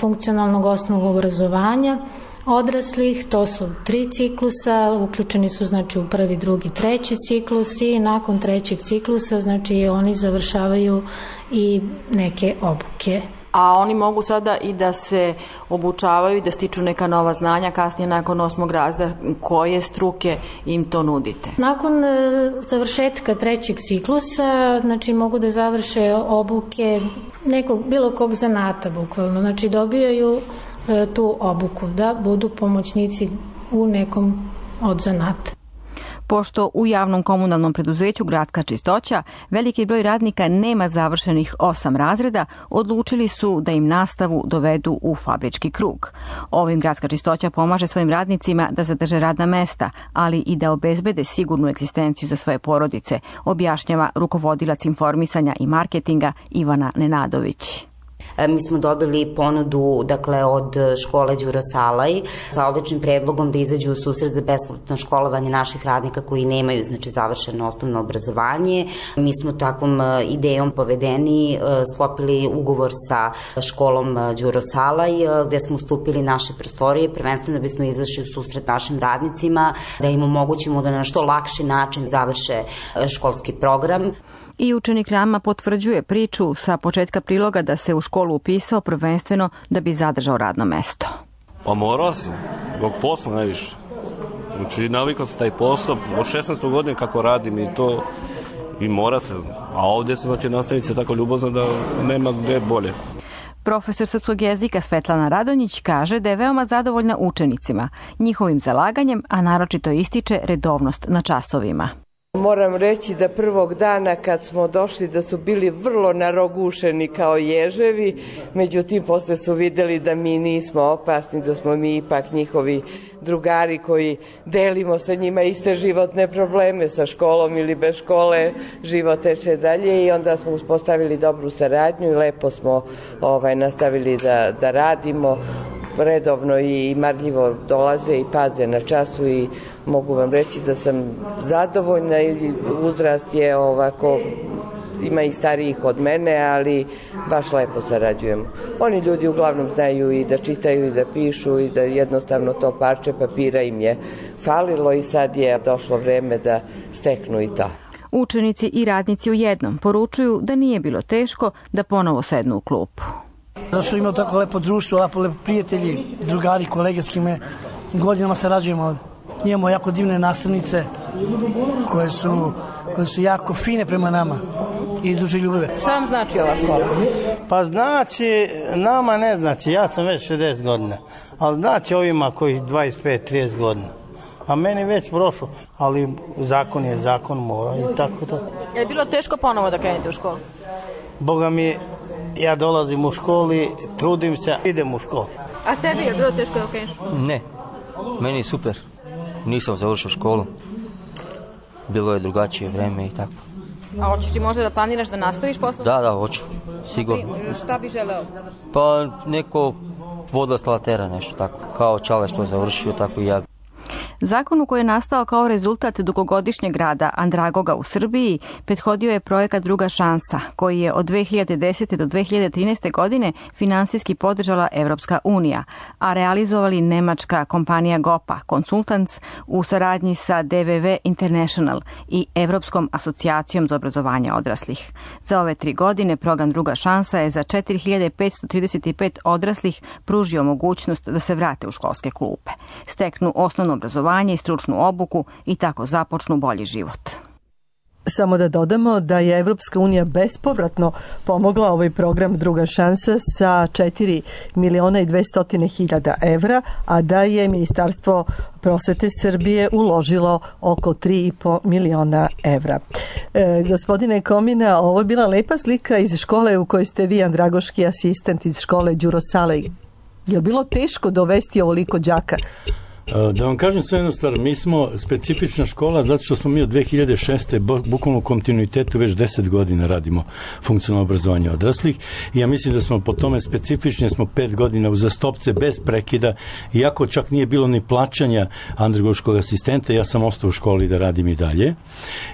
funkcionalnog osnovnog obrazovanja odraslih, to su tri ciklusa, uključeni su znači u prvi, drugi, treći ciklus i nakon trećeg ciklusa znači oni završavaju i neke obuke. A oni mogu sada i da se obučavaju i da stiču neka nova znanja kasnije nakon osmog razreda. Koje struke im to nudite? Nakon e, završetka trećeg ciklusa, znači mogu da završe obuke nekog, bilo kog zanata bukvalno. Znači dobijaju e, tu obuku da budu pomoćnici u nekom od zanata. Pošto u javnom komunalnom preduzeću Gradska čistoća veliki broj radnika nema završenih osam razreda, odlučili su da im nastavu dovedu u fabrički krug. Ovim Gradska čistoća pomaže svojim radnicima da zadrže radna mesta, ali i da obezbede sigurnu egzistenciju za svoje porodice, objašnjava rukovodilac informisanja i marketinga Ivana Nenadović. Mi smo dobili ponudu dakle, od škole Đuro Salaj sa odličnim predlogom da izađu u susret za besplatno školovanje naših radnika koji nemaju znači, završeno osnovno obrazovanje. Mi smo takvom idejom povedeni sklopili ugovor sa školom Đuro Salaj gde smo ustupili naše prostorije, prvenstveno da bismo izašli u susret našim radnicima, da im omogućimo da na što lakši način završe školski program. I učenik Rama potvrđuje priču sa početka priloga da se u školu upisao prvenstveno da bi zadržao radno mesto. Pa morao sam, zbog posla najviše. Znači navikao sam taj posao, od šesnaeste godine kako radim i to i mora se. A ovdje su znači nastavnice tako ljubazno da nema gdje bolje. Profesor srpskog jezika Svetlana Radonjić kaže da je veoma zadovoljna učenicima, njihovim zalaganjem, a naročito ističe redovnost na časovima. Moram reći da prvog dana kad smo došli da su bili vrlo narogušeni kao ježevi, međutim posle su videli da mi nismo opasni, da smo mi ipak njihovi drugari koji delimo sa njima iste životne probleme, sa školom ili bez škole, život teče dalje i onda smo uspostavili dobru saradnju i lepo smo ovaj, nastavili da, da radimo. Redovno i marljivo dolaze i paze na času i mogu vam reći da sam zadovoljna i uzrast je ovako, ima i starijih od mene, ali baš lepo sarađujemo. Oni ljudi uglavnom znaju i da čitaju i da pišu i da jednostavno to parče papira im je falilo i sad je došlo vreme da steknu i to. Učenici i radnici u jednom poručuju da nije bilo teško da ponovo sednu u klupu. Da su imali tako lepo društvo, lepo, lepo prijatelji, drugari, kolege s kime godinama sarađujemo ovdje. Imamo jako divne nastavnice koje su, koje su jako fine prema nama i duže ljubave. Šta vam znači ova škola? Pa znači, nama ne znači, ja sam već šezdeset godina, ali znači ovima koji dvadeset pet trideset godina. A meni već prošlo, ali zakon je zakon, mora i tako to. Je li bilo teško ponovo da krenete u školu? Boga mi, ja dolazim u školi, trudim se, idem u školu. A tebi je bilo teško da kreneš? Ne, meni je super. Nisam završio školu. Bilo je drugačije vreme i tako. A hoćeš ti možda da planiraš da nastaviš posao? Da, da, hoću, sigurno. Šta bi želeo? Pa neko vodoinstalatera, nešto tako. Kao Čale što je završio, tako i ja. Zakonu koji je nastao kao rezultat dugogodišnjeg rada Andragoga u Srbiji prethodio je projekat Druga šansa, koji je od dve hiljade desete do dve hiljade trinaeste. godine finansijski podržala Evropska unija, a realizovali nemačka kompanija Gopa Consultants u saradnji sa D V V International i Evropskom asocijacijom za obrazovanje odraslih. Za ove tri godine program Druga šansa je za četiri hiljade petsto trideset pet odraslih pružio mogućnost da se vrate u školske klupe, steknu osnovno obrazovanje i stručnu obuku i tako započnu bolji život. Samo da dodamo da je Evropska unija bespovratno pomogla ovaj program Druga šansa sa četiri miliona i dvesta hiljada evra, a da je Ministarstvo prosvete Srbije uložilo oko tri i po miliona evra. E, gospodine Komina, ovo je bila lepa slika iz škole u kojoj ste vi andragoški asistent iz škole Đuro Salej. Je li bilo teško dovesti ovoliko đaka? Da vam kažem sve jednu stvar, mi smo specifična škola zato što smo mi od dve hiljade šeste. bukvalno u kontinuitetu već deset godina radimo funkcionalno obrazovanje odraslih i ja mislim da smo po tome specifični, smo pet godina uzastopce bez prekida, iako čak nije bilo ni plaćanja andragoškog asistenta, ja sam ostao u školi da radim i dalje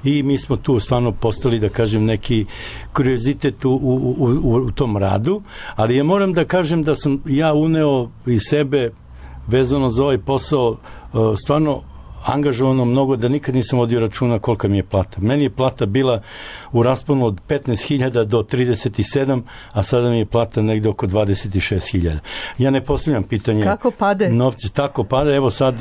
i mi smo tu stvarno postali, da kažem, neki kuriozitet u, u, u, u tom radu, ali ja moram da kažem da sam ja uneo iz sebe vezano za ovaj posao stvarno angažovano mnogo da nikad nisam vodio računa kolika mi je plata. Meni je plata bila u rasponu od petnaest hiljada do trideset sedam, a sada mi je plata negde oko dvadeset šest hiljada. Ja ne postavljam pitanje... Kako pade? Novci, tako pade. Evo sad,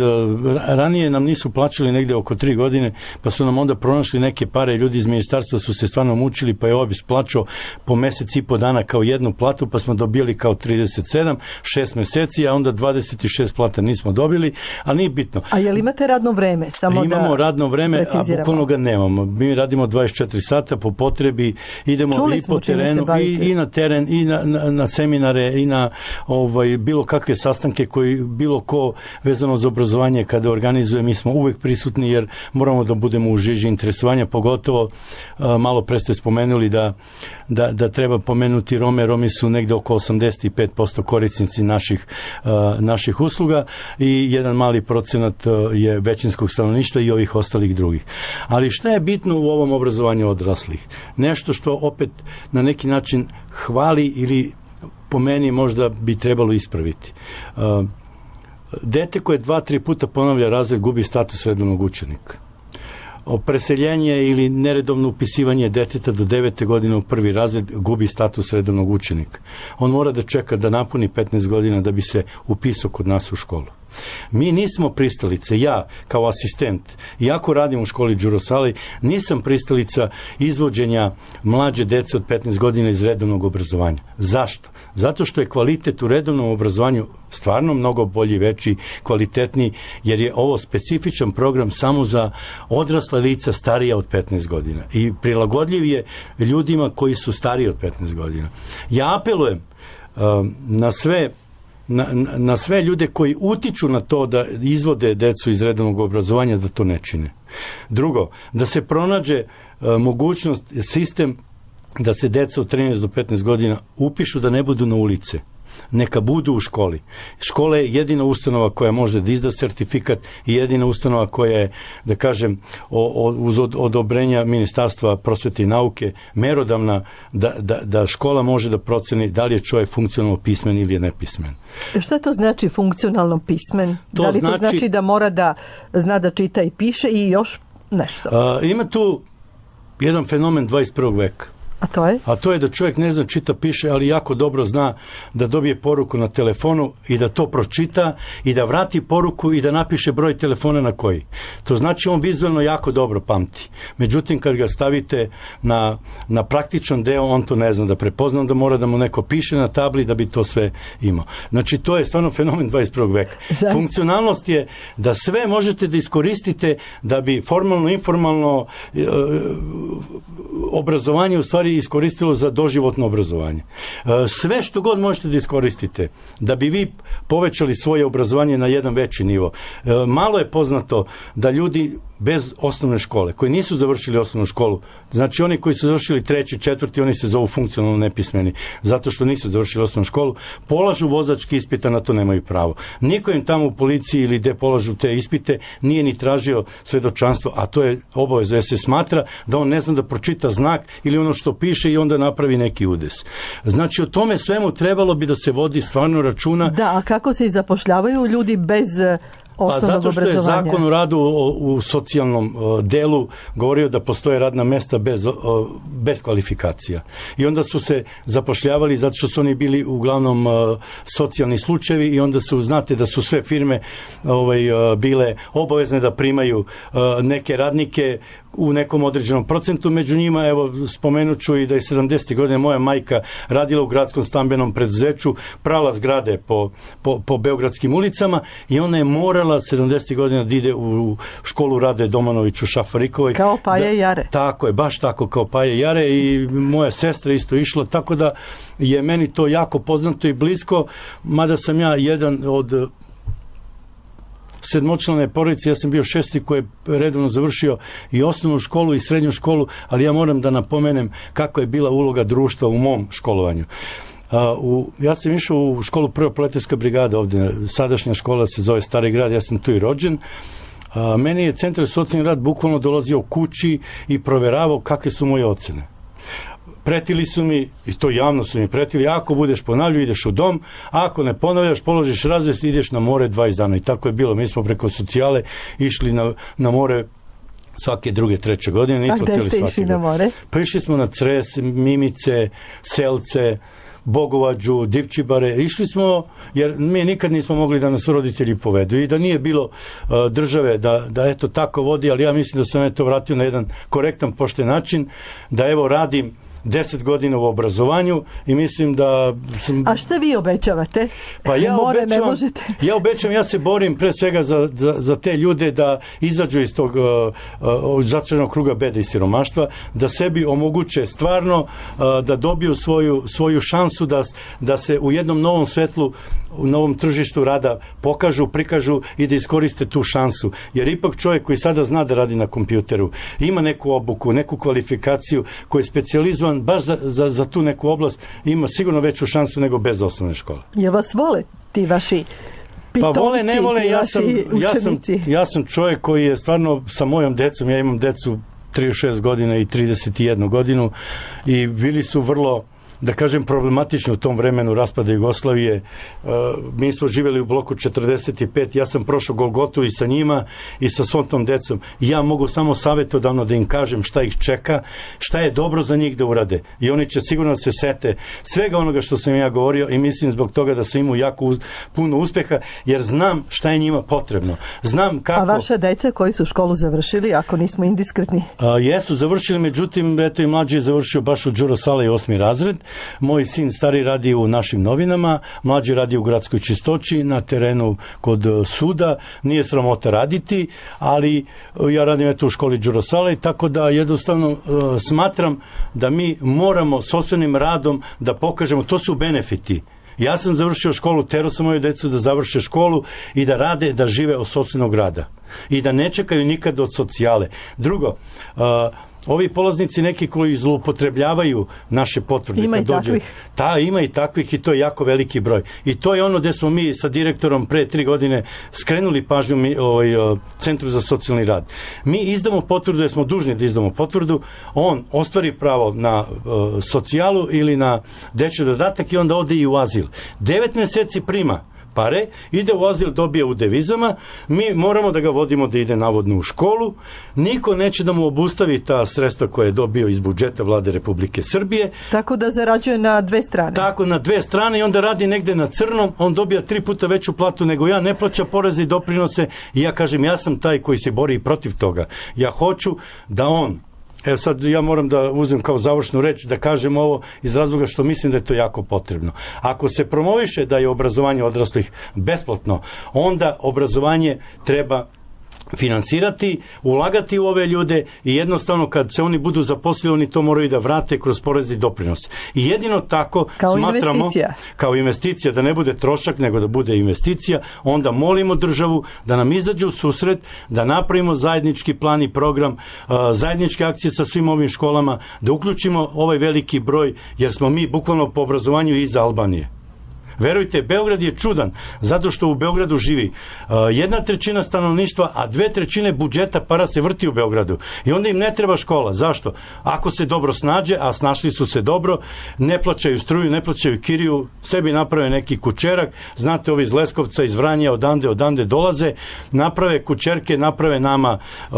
ranije nam nisu plaćali negde oko tri godine, pa su nam onda pronašli neke pare, ljudi iz ministarstva su se stvarno mučili, pa je obis plaćao po mesec i po dana kao jednu platu, pa smo dobili kao trideset sedam, šest meseci, a onda dvadeset šest plata nismo dobili, ali nije bitno. A je li imate radno vreme? Samo Imamo da radno vreme, a bukvalno ga nemamo. Mi radimo dvadeset četiri sata po potrebi, idemo Čuli i po terenu, i, i na teren, i na, na, na seminare, i na ovaj, bilo kakve sastanke koji bilo ko vezano za obrazovanje kada organizuje, mi smo uvek prisutni jer moramo da budemo u žiži interesovanja, pogotovo a, malo pre ste spomenuli da, da, da treba pomenuti Rome. Romi su negde oko osamdeset pet posto korisnici naših, a, naših usluga i jedan mali procenat a, je većinskog stanovništva i ovih ostalih drugih. Ali šta je bitno u ovom obrazovanju odraslih? Nešto što opet na neki način hvali ili po meni možda bi trebalo ispraviti. Dete koje dva, tri puta ponavlja razred gubi status redovnog učenika. Preseljenje ili neredovno upisivanje deteta do devete godine u prvi razred gubi status redovnog učenika. On mora da čeka da napuni petnaest godina da bi se upisao kod nas u školu. Mi nismo pristalice, ja kao asistent, iako radim u školi Đuro Salej, nisam pristalica izvođenja mlađe dece od petnaest godina iz redovnog obrazovanja. Zašto? Zato što je kvalitet u redovnom obrazovanju stvarno mnogo bolji, veći, kvalitetniji, jer je ovo specifičan program samo za odrasla lica starija od petnaest godina i prilagodljiv je ljudima koji su stariji od petnaest godina. Ja apelujem uh, na sve Na, na sve ljude koji utiču na to da izvode decu iz redovnog obrazovanja da to ne čine. Drugo, da se pronađe e, mogućnost, sistem da se deca od trinaest do petnaest godina upišu da ne budu na ulice. Neka budu u školi. Škola je jedina ustanova koja može da izda sertifikat i jedina ustanova koja je, da kažem, o, o, uz od, odobrenja Ministarstva prosvete i nauke merodavna da, da, da škola može da proceni da li je čovjek funkcionalno pismen ili je nepismen. Šta to znači funkcionalno pismen? To da li znači, to znači da mora da zna da čita i piše i još nešto? A, ima tu jedan fenomen dvadeset prvog veka. A to je? A to je da čovjek ne zna čita, piše, ali jako dobro zna da dobije poruku na telefonu i da to pročita i da vrati poruku i da napiše broj telefona na koji. To znači on vizualno jako dobro pamti. Međutim, kad ga stavite na, na praktičan deo, on to ne zna da prepozna, da mora da mu neko piše na tabli da bi to sve imao. Znači, to je stvarno fenomen dvadeset prvog veka. Zaista. Funkcionalnost je da sve možete da iskoristite da bi formalno, informalno e, obrazovanje u stvari iskoristilo za doživotno obrazovanje. Sve što god možete da iskoristite da bi vi povećali svoje obrazovanje na jedan veći nivo. Malo je poznato da ljudi bez osnovne škole, koji nisu završili osnovnu školu, znači oni koji su završili treći, četvrti, oni se zovu funkcionalno nepismeni, zato što nisu završili osnovnu školu, polažu vozački ispit, a na to nemaju pravo. Niko im tamo u policiji ili gde polažu te ispite nije ni tražio svedočanstvo, a to je obavezno, jer se smatra da on ne zna da pročita znak ili ono što piše i onda napravi neki udes. Znači, o tome svemu trebalo bi da se vodi stvarno računa. Da, a kako se i zapošljavaju ljudi bez osnovnog zato što je obrazovanja? Zakon o radu u, u socijalnom uh, delu govorio da postoje radna mesta bez, uh, bez kvalifikacija. I onda su se zapošljavali zato što su oni bili uglavnom uh, socijalni slučajevi i onda su, znate da su sve firme ovaj, uh, bile obavezne da primaju uh, neke radnike u nekom određenom procentu, među njima, evo, spomenut ću i da je sedamdesetih godine moja majka radila u gradskom stambenom preduzeću, prala zgrade po, po, po beogradskim ulicama i ona je morala sedamdesetih godina da ide u školu Rade Domanović u Šafarikovoj. Kao Paje Jare. Tako je, baš tako kao Paje Jare i moja sestra isto išla, tako da je meni to jako poznato i blisko, mada sam ja jedan od sedmočlane porodice, ja sam bio šesti koji je redovno završio i osnovnu školu i srednju školu, ali ja moram da napomenem kako je bila uloga društva u mom školovanju. Uh, u, ja sam išao u školu prva proletarska brigada ovde, sadašnja škola se zove Stari grad, ja sam tu i rođen. Uh, meni je centar socijalni rad bukvalno dolazio kući i proveravao kakve su moje ocene. Pretili su mi, i to javno su mi pretili, ako budeš ponavljao, ideš u dom, ako ne ponavljaš, položiš razred, ideš na more dvadeset dana. I tako je bilo. Mi smo preko socijale išli na, na more svake druge, treće godine. Nismo A gde ste išli na more? Pa išli smo na Cres, Mimice, Selce, Bogovađu, Divčibare. Išli smo, jer mi nikad nismo mogli da nas roditelji povedu i da nije bilo uh, države da, da eto tako vodi, ali ja mislim da sam eto vratio na jedan korektan, pošten način, da evo radim deset godina u obrazovanju i mislim da sam... A šta vi obećavate? Pa ja More obećavam, ne možete. ja obećavam, ja se borim pre svega za, za, za te ljude da izađu iz tog uh, uh, začaranog kruga bede i siromaštva, da sebi omoguće stvarno uh, da dobiju svoju, svoju šansu da, da se u jednom novom svetlu, u novom tržištu rada pokažu, prikažu i da iskoriste tu šansu. Jer ipak čovjek koji sada zna da radi na kompjuteru, ima neku obuku, neku kvalifikaciju, koji je specijalizovan baš za, za, za tu neku oblast, ima sigurno veću šansu nego bez osnovne škole. Je vas vole ti vaši pitomci, pa vole, ne vole, ja sam, ja, sam, učenici? ja sam čovjek koji je stvarno sa mojom decom, ja imam decu trideset šest godina i trideset jednu godinu i bili su vrlo, da kažem, problematično u tom vremenu raspada Jugoslavije. Uh, mi smo živjeli u bloku četrdeset pet, ja sam prošao Golgotu i sa njima i sa svom tom decom. Ja mogu samo savjetodavno da im kažem šta ih čeka, šta je dobro za njih da urade. I oni će sigurno da se sete svega onoga što sam ja govorio i mislim zbog toga da sam imao jako uz, puno uspeha, jer znam šta je njima potrebno. Znam kako... A vaša deca koji su školu završili, ako nismo indiskretni? Uh, jesu završili, međutim, eto i mlađi je završio baš u Đuro Salaj osmi razred. Moj sin stari radi u našim novinama, mlađi radi u gradskoj čistoći, na terenu kod suda, nije sramota raditi, ali ja radim eto u školi Đuro Salaj, tako da jednostavno uh, smatram da mi moramo sopstvenim radom da pokažemo, to su benefiti. Ja sam završio školu, terao sam moju decu da završe školu i da rade, da žive od sopstvenog rada. I da ne čekaju nikad od socijale. Drugo, uh, ovi polaznici neki koji zloupotrebljavaju naše potvrde. Ima i takvih. Ta, ima i takvih i to je jako veliki broj. I to je ono gde smo mi sa direktorom pre tri godine skrenuli pažnju mi, ovaj, Centru za socijalni rad. Mi izdamo potvrdu, jer smo dužni da izdamo potvrdu, on ostvari pravo na uh, socijalu ili na dečji dodatak i onda ode i u azil. Devet meseci prima pare, ide u azil, dobije u devizama, mi moramo da ga vodimo da ide navodno u školu, niko neće da mu obustavi ta sredstva koje je dobio iz budžeta Vlade Republike Srbije. Tako da zarađuje na dve strane. Tako, na dve strane i onda radi negde na crnom, on dobija tri puta veću platu nego ja, ne plaća poreze i doprinose i ja kažem, ja sam taj koji se bori protiv toga. Ja hoću da on, evo sad ja moram da uzmem kao završnu reč da kažem ovo iz razloga što mislim da je to jako potrebno. Ako se promoviše da je obrazovanje odraslih besplatno, onda obrazovanje treba finansirati, ulagati u ove ljude i jednostavno kad se oni budu zaposlili, oni to moraju da vrate kroz porez i doprinos. I jedino tako kao smatramo, investicija. kao investicija, da ne bude trošak, nego da bude investicija, onda molimo državu da nam izađe u susret, da napravimo zajednički plan i program, zajedničke akcije sa svim ovim školama, da uključimo ovaj veliki broj, jer smo mi bukvalno po obrazovanju iza Albanije. Verujte, Beograd je čudan, zato što u Beogradu živi uh, jedna trećina stanovništva, a dve trećine budžeta para se vrti u Beogradu. I onda im ne treba škola. Zašto? Ako se dobro snađe, a snašli su se dobro, ne plaćaju struju, ne plaćaju kiriju, sebi naprave neki kućerak, znate, ovi iz Leskovca, iz Vranja, odande, odande dolaze, naprave kućerke, naprave nama uh,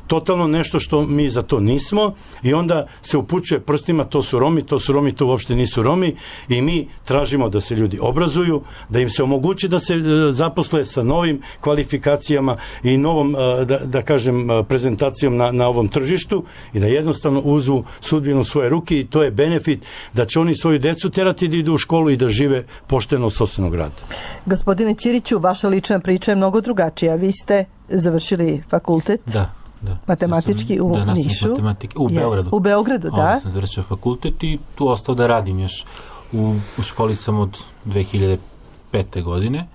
totalno nešto što mi za to nismo i onda se upućuje prstima, to su Romi, to su Romi, to uopšte nisu Romi i mi tražimo da se ljudi obrazuju, da im se omogući da se zaposle sa novim kvalifikacijama i novom, da, da kažem, prezentacijom na, na ovom tržištu i da jednostavno uzmu sudbinu svoje ruke i to je benefit da će oni svoju decu terati da idu u školu i da žive pošteno od sopstvenog rada. Gospodine Ćiriću, vaša lična priča je mnogo drugačija. Vi ste završili fakultet. Da. Da. Matematički u da, Nišu. U Beogradu. U Beogradu, da. Ovdje sam završio fakultet i tu ostao da radim još. U, u školi sam od dve hiljade pete. godine.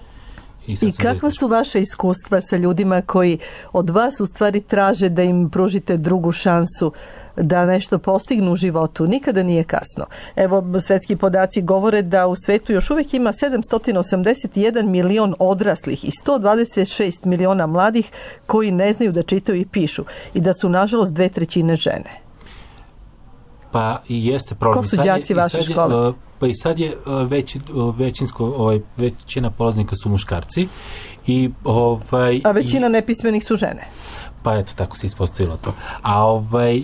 I, I kakva su vaše iskustva sa ljudima koji od vas u stvari traže da im pružite drugu šansu da nešto postignu u životu? Nikada nije kasno. Evo, svetski podaci govore da u svetu još uvijek ima sedamsto osamdeset jedan milion odraslih i sto dvadeset šest miliona mladih koji ne znaju da čitaju i pišu i da su, nažalost, dve trećine žene. Pa i jeste problem. Ko su đaci vaše škole? Pa i sad je veći, većinsko, ovaj, većina polaznika su muškarci. I, ovaj, a većina i, nepismenih su žene. Pa eto, tako se ispostavilo to. A ovaj, e,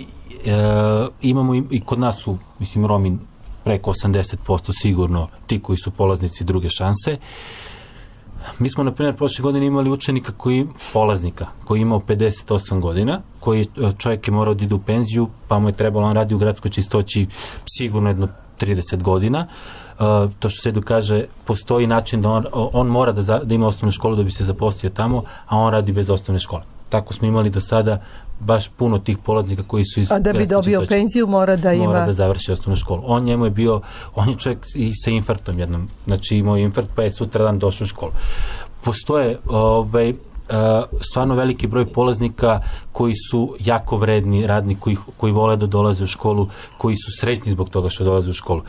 imamo i, i kod nas su, mislim, Romi preko osamdeset posto sigurno ti koji su polaznici druge šanse. Mi smo, na primjer, prošle godine imali učenika koji, polaznika, koji je imao pedeset osam godina, koji čovjek je morao da ide u penziju, pa mu je trebalo, on radi u gradskoj čistoći sigurno jedno trideset godina. Uh, to što se Edu kaže, postoji način da on, on mora da, za, da ima osnovnu školu da bi se zaposlio tamo, a on radi bez osnovne škole. Tako smo imali do sada baš puno tih polaznika koji su iz... A da bi dobio čistoći, penziju mora da ima... Mora da završi osnovnu školu. On njemu je bio, on je čovjek i sa infarktom jednom, znači imao infarkt pa je sutradan došao u školu. Postoje ovaj, stvarno veliki broj polaznika koji su jako vredni, radni, koji, koji vole da dolaze u školu, koji su srećni zbog toga što dolaze u školu.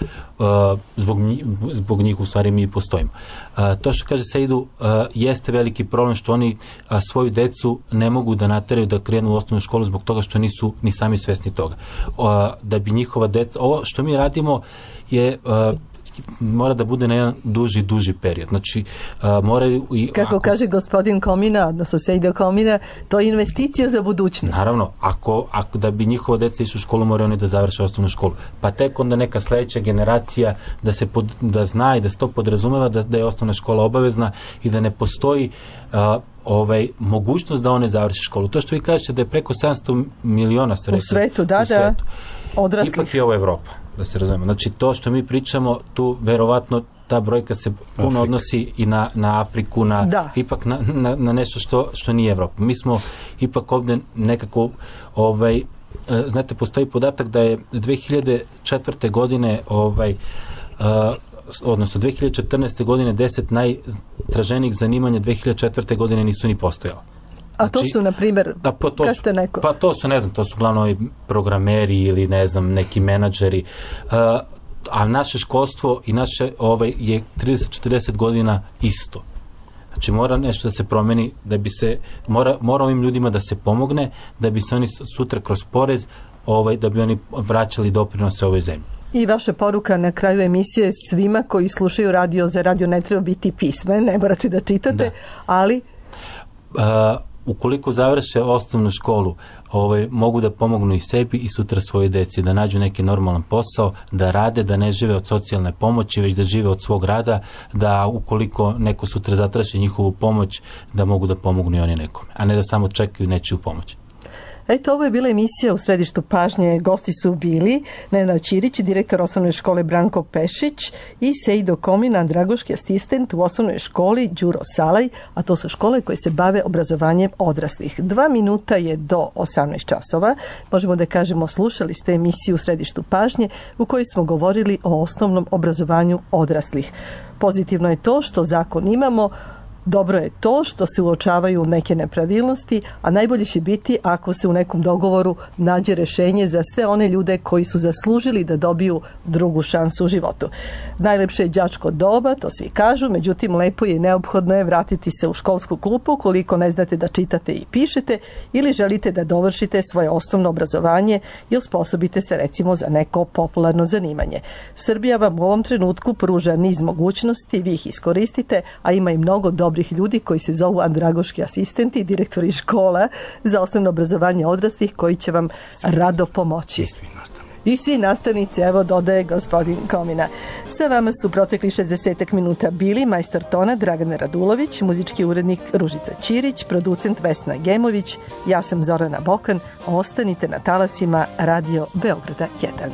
Zbog njih, zbog njih u stvari mi postojimo. To što kaže Sejdu jeste veliki problem što oni svoju decu ne mogu da nateraju da krenu u osnovnu školu zbog toga što nisu ni sami svesni toga. Da bi njihova deca, ovo što mi radimo je mora da bude na jedan duži, duži period. Znači, uh, moraju... I, Kako ako, kaže gospodin Komina, odnosno Sejdo Komina, to je investicija za budućnost. Naravno, ako, ako da bi njihova deca išla u školu, moraju oni da završe osnovnu školu. Pa tek onda neka sledeća generacija da se pod, da zna i da se to podrazumeva da, da je osnovna škola obavezna i da ne postoji uh, ovaj, mogućnost da one završe školu. To što vi kažete da je preko sedamsto miliona ste rekli, u svetu, da, u svetu. Da, odraslih. Ipak je ovo Evropa, da se razumemo. Znači, to što mi pričamo, tu verovatno ta brojka se puno Afrika. Odnosi i na, na Afriku, na, da. ipak na, na, na nešto što, što nije Evropa. Mi smo ipak ovdje nekako, ovaj, znate, postoji podatak da je dve hiljade četvrte. godine, ovaj, uh, odnosno dve hiljade četrnaeste. godine deset najtraženijih zanimanja dve hiljade četvrte. godine nisu ni postojala. A to znači, su, na primjer, da, pa to kažete neko? Pa to su, ne znam, to su uglavnom programeri ili, ne znam, neki menadžeri. Uh, a naše školstvo i naše ovaj, je trideset do četrdeset godina isto. Znači, mora nešto da se promeni, da bi se, mora, mora ovim ljudima da se pomogne, da bi se oni sutra kroz porez, ovaj, da bi oni vraćali doprinose ovoj zemlji. I vaša poruka na kraju emisije svima koji slušaju radio, za radio ne treba biti pismen, ne morate da čitate, da. ali... Uh, ukoliko završe osnovnu školu, ovaj, mogu da pomognu i sebi i sutra svoje deci, da nađu neki normalan posao, da rade, da ne žive od socijalne pomoći, već da žive od svog rada, da ukoliko neko sutra zatraži njihovu pomoć, da mogu da pomognu i oni nekome, a ne da samo čekaju nečiju pomoć. Eto, ovo je bila emisija u središtu pažnje. Gosti su bili Nenad Ćirić, direktor osnovne škole Branko Pešić i Sejdo Komin, andragoški asistent u osnovnoj školi Đuro Salaj, a to su škole koje se bave obrazovanjem odraslih. Dva minuta je do osamnaest časova. Možemo da kažemo, slušali ste emisiju u središtu pažnje u kojoj smo govorili o osnovnom obrazovanju odraslih. Pozitivno je to što zakon imamo, dobro je to što se uočavaju neke nepravilnosti, a najbolje će biti ako se u nekom dogovoru nađe rešenje za sve one ljude koji su zaslužili da dobiju drugu šansu u životu. Najlepše je đačko doba, to svi kažu, međutim lepo je i neophodno je vratiti se u školsku klupu ukoliko ne znate da čitate i pišete ili želite da dovršite svoje osnovno obrazovanje i osposobite se recimo za neko popularno zanimanje. Srbija vam u ovom trenutku pruža niz mogućnosti, vi ih iskoristite, a ima i mnogo dobrih ljudi koji se zovu andragoški asistenti i direktori škola za osnovno obrazovanje odraslih koji će vam rado pomoći. I svi nastavnici, evo dodaje gospodin Komina. Sa vama su protekli šezdeset minuta bili majstor tona Dragana Radulović, muzički urednik Ružica Ćirić, producent Vesna Gemović, ja sam Zorana Bokan. Ostanite na talasima Radio Beograda jedan.